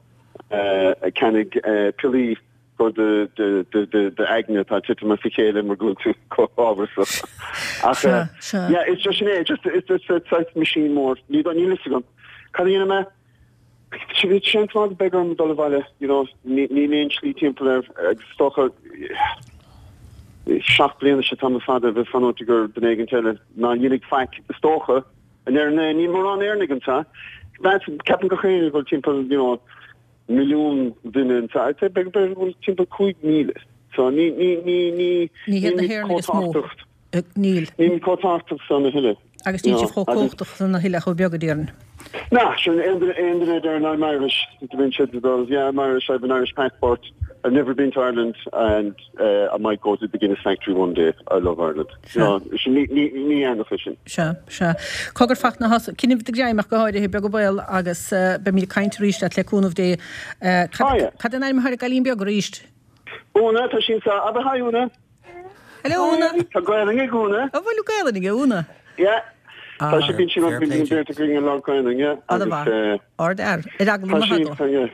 ceannaigh piollaí. do d'aigne atá ag titim as a chéile mar go bhfuil tú chomh hamhrasach. Ach yeah, it's just sin é, just it's just it's saghas machine mór. Ní níl fhios agam. Cad a dhéanfaidh mé? Seans maith go beidh orm dul abhaile, you know, níl aon slí timpeall air agus is dócha 7 bliana is tamall fada a bheith fanúint ag duine éigin eile ná dhéanfaidh faic, is dócha. In Éirinn, níl mórán Éireannaigh anseo. Ceapann gach éinne go bhfuil timpeall, you know, milliún duine anseo. I'd say b'fhéidir go bhfuil timpeall 5,000. So ní, ní, ní, ní, Ní hiad na hÉireannaigh is mó. Níl. Níl chomh tábhachtach san a thuilleadh. Agus níl sibh chomh cumhachtach san a thuilleadh chomh beag a déarfainn. Nah, sin aon duine aon duine a deireann I'm Irish, bíonn siad ag dul, yeah I'm Irish, I have an Irish passport, I've never been to Ireland and uh, I might go to the Guinness factory one day, I love Ireland. No, sin ní ní ní Éireannach é sin. Sea, sea. Cogar Fachtna, coinnigh do ghreim ach go háirithe, beag an baol agus beimid ag caint arís leat le cúnamh Dé. Cad cad é an ainm atá ar an gcailín beag arís? Úna, tá sí anseo. Abair hi Úna. Hello Úna. Tá Gaelainn ag Úna. An bhfuil Gaelainn ag Úna? Yeah. Tá sí bíonn sí rud bíonn beirt againn ag labhairt Gaelainn, yeah. Agus Ard-fhear. Ar eagla na heagla.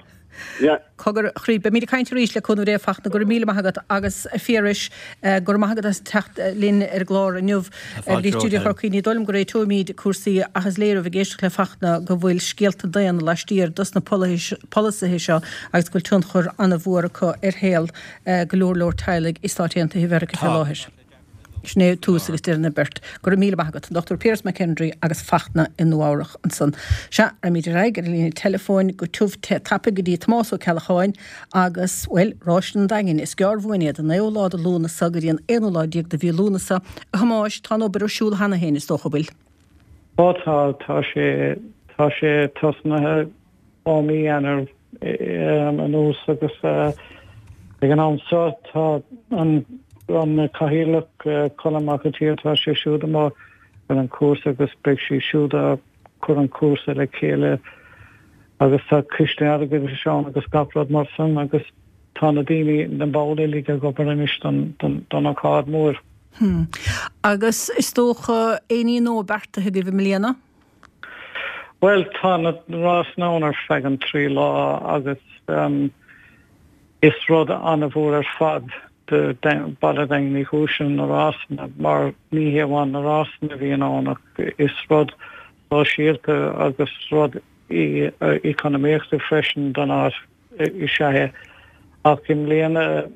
Yeah. Cogar a chroí. Beimid ag caint arís le cúnamh Dé a Fachtna. Go raibh míle maith agat agus a Phiarais, go raibh maith agat as teacht linn ar an gclár inniu. Go dtí Stiúideo Chorcaí. Ní dóigh liom go réiteoimid cúrsaí ach is léir ó bheith ag éisteacht le Fachtna go bhfuil scéalta daonna laistiar dos na polasaithe seo agus go bhfuil tionchar an-mhór acu ar shaol go leor leor teaghlaigh i Stáit Aontaithe Mheiriceá fé láthair. Sin é tús agus deireadh na beart. Go raibh míle maith agat. An Dr Piaras McKendry agus Fachtna i Nua Eabhrach ansan. Sea, raghaimid ar aghaidh ar an líne teileafóin go tiubh te tapaidh go dtí Tomás Ó Ceallacháin agus, bhuel, Ráiseanna an Daingin. Is gearr uainn iad, an naoú lá de Lúnasa go dtí an aonú lá déag de mhí Lúnasa. A Thomáis, tá an obair ar siúl cheana féin, is dócha, bhfuil? Ó tá, tá sé, tá sé tosnaithe. ó mí Eanáir anuas agus ag an am seo tá an Cathaoirleach Colm Mac an tSaoi, tá sé siúd amuigh ar an chúrsa agus beidh sé siúd ag cur an cúrsa le chéile agus tá coiste airgeadais ann agus gach rud mar san agus tá na daoine, na baill uilig ag obair anois don ócáid mhór. Agus is dócha aon ní nua beartaithe agaibh i mbliana? Bhuel, tá na rásanna ann ar feadh an 3 lá agus is rud an-mhór ar fad do Baile Daingean Uí Chúis na rásanna mar ní hé amháin na rásanna a bhíonn ann ach is rud sóisialta agus rud eacnamaíochta freisin don áit is ea é. Ach i mbliana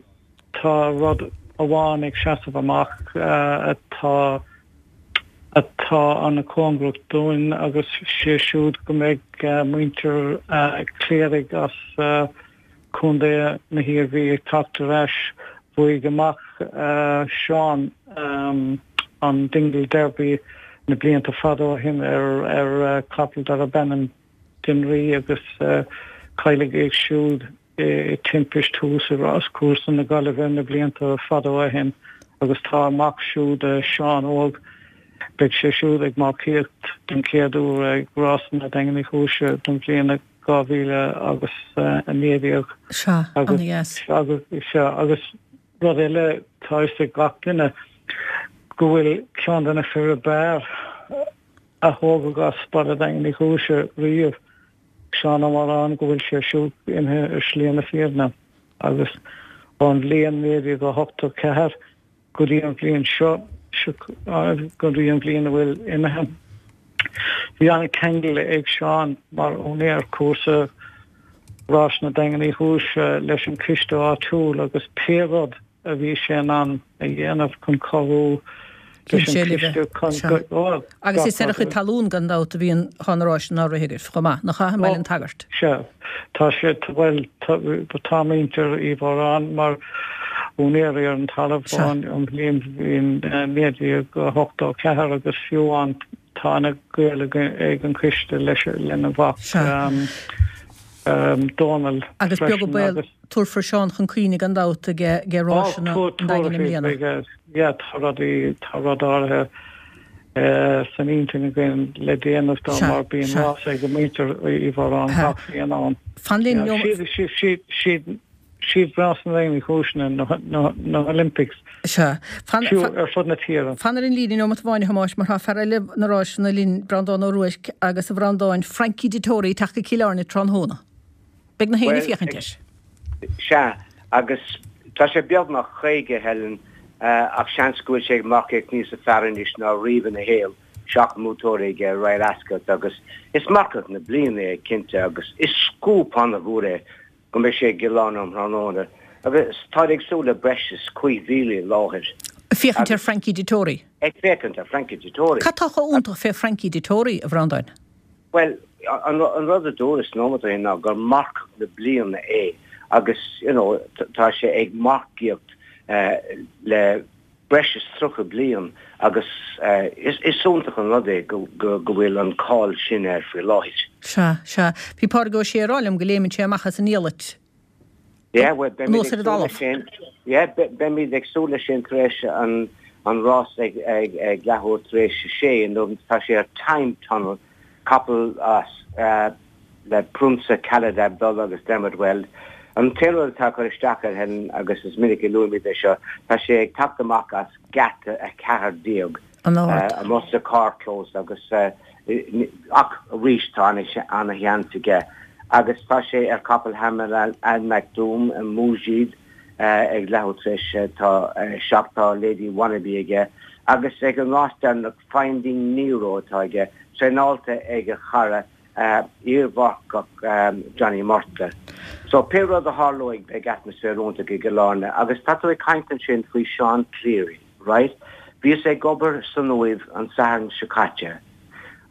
tá rud amháin ag seasamh amach atá atá an-chóngarach dúinn agus sé siúd go mbeidh muintir Cléirigh as Contae na hIarmhí ag teacht ar ais. Bhuaigh a mac Seán an Dingle Derby na blianta fada ó shin ar chapall darb ainm Dinree agus cailleadh é siúd i timpist thuas i ráschúrsa na Gaillimhe na blianta fada ó shin agus tá a mac siúd, Seán Óg, beidh sé siúd ag marcaíocht den chéad uair ag Rásanna Daingean Uí Chúis don bhliain 2019. Sea, ana-dheas. Sea, agus rud eile, tá fhios ag gach duine go bhfuil ceann de na fir ab fhearr a tógadh as Baile Daingean Uí Chúis riamh, Seán Ó Mórán, go bhfuil sé siúd imithe ar shlí na fírinne agus ón bhliain 1984 go dtí an bhliain seo, go dtí an bhliain a bhfuil imithe, bhí an-cheangal ag Seán mar úinéir cúrsa Rásanna Daingean Uí Chúis leis an coiste áitiúil agus pé rud a bhí sé in ann a dhéanamh chun cabhrú leis an gcoiste chun go. Agus is ar a chuid talún gan dabht a bhíonn tá na ráiseanna á rith agaibh chomh maith, nach ea, i mBaile an tSagairt? Sea. Tá sé, bhuel, tá muintir Uí Mhóráin mar úinéirí ar an talamh ón bhliain 1984 agus fiú amháin tá ana-ghaol ag an choiste leis, lena mhac Dónal freisin. Agus beag an baol. Tabharfar Seán chun cuimhne gan dabht ag Ráiseanna an Daingin i mbliana. Yeah, tá rudaí, tá rud áirithe san intinn againn le déanamh dó mar bíonn rás ag muintir Uí Mhóráin gach bliain ann. Fan linn, Siad, siad Rásanna Daingean Uí Chúis na Olympics Sea. Fan, fiú ar fud na tíre. Fan ar an líne neomat amháin a Thomáis mar tá fear eile na ráiseanna linn, Breandán Ó Ruairc agus a Bhreandáin, Frankie Dettori ag teacht go Cill Airne tráthnóna. Beidh na héinne ag féachaint air. Sea, agus tá sé beagnach 50, Helen. Ach seans go bhfuil sé ag marcaíocht níosa fearr anois ná riamh ina shaol, 7 mbuaiteoirí aige Royal Ascot agus is marcach na bliana é cinnte agus is scúp an-mhór é go mbeidh sé i gCill Airne um thráthnóna agus táid ag súil le breis is 5,000 i láthair. Ag féachaint ar Frankie Dettori. Ag féachaint ar Frankie Dettori. Cad tá chomh iontach fé Frankie Dettori, a Bhreandáin? Bhuel, an rud a dúras nóiméad ó shin ná gur marcach na bliana é agus, you know, tá sé ag marcaíocht le breis is 30 bliain agus is iontach an rud é go bhfuil an cáil sin air faoi láthair. Sea, sea. Bhí Pádraig Ó Sé ag rá liom go léimeann sé amach as an ndiallait Yeah, well, beimid anuas ag ar an súil leis dtalamh. sin. Yeah, beimid ag súil leis sin tar éis an an rás ag ag ag leathuair tar éis a sé inniu. Tá sé ar Time Tunnel, capall as le Prionsa Khalid Abdullah agus Dermot Weld. An t-aon rud atá ag cur isteach air Helen, agus is minic a luaimid é seo, tá sé ag teacht amach as geata 14 An-ard. amuigh sa carrchlós agus ach arís tá ana-sheans aige agus tá sé ar capall Hamad Al Maktoum, Mujiid, ag leathuair tar éis tá 7 tá Lady Wannabe aige agus ag an rás deireanach Finding Nero atá aige, traenáilte ag a chara iarmharcach Johnny Murtagh. So pé rud a tharlóidh beidh atmaisféar iontach i gCill Airne agus tá tú ag caint ansin faoi Sean Cleary, right? Bhíos ag obair san Uaimh an Satharn seo caite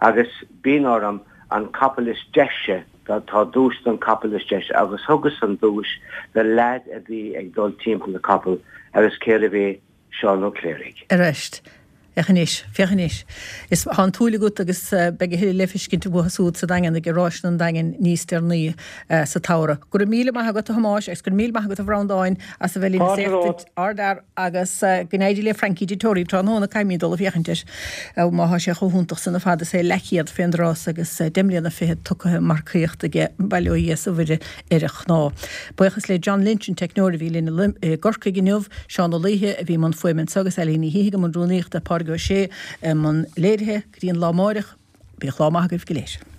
agus bíonn orm an capall is deise, tá duais don capall is deise agus thugas an duais do leaid a bhí ag dul timpeall na capall agus cérbh é? Seán Ó Cléirigh. Arís. Féach anois. Féach anois. Is tá an tsúil agat agus beidh a thuilleadh le feiscint uathu súd sa Daingean ag Ráiseanna an Daingin níos deireanaí sa tsamhradh. Go raibh míle maith agat a Thomáis agus go raibh míle maith agat a Bhreandáin as a bheith linn is éachtaint ardfhear agus go n-éirí le Frankie Dettori tráthnóna caithfimid dul ag féachaint air má thá sé chomh hiontach san ar fad is é leathchéad fén dtráth agus deich mbliana fichead tugtha ag marcaíocht aige bail ó Dhia is ó Mhuire ar a chnámha. Buíochas le John Lynch, an teicneoir a bhí linn i gCorcaigh inniu, Seán Ó Laoithe a bhí i mbun fuaime anseo agus Eilín Ní Shíthigh i mbun rúnaíochta, Pádraig Ó Sé i mbun léirithe. Go dtí an lá amáireach, bíodh lá maith agaibh go léir.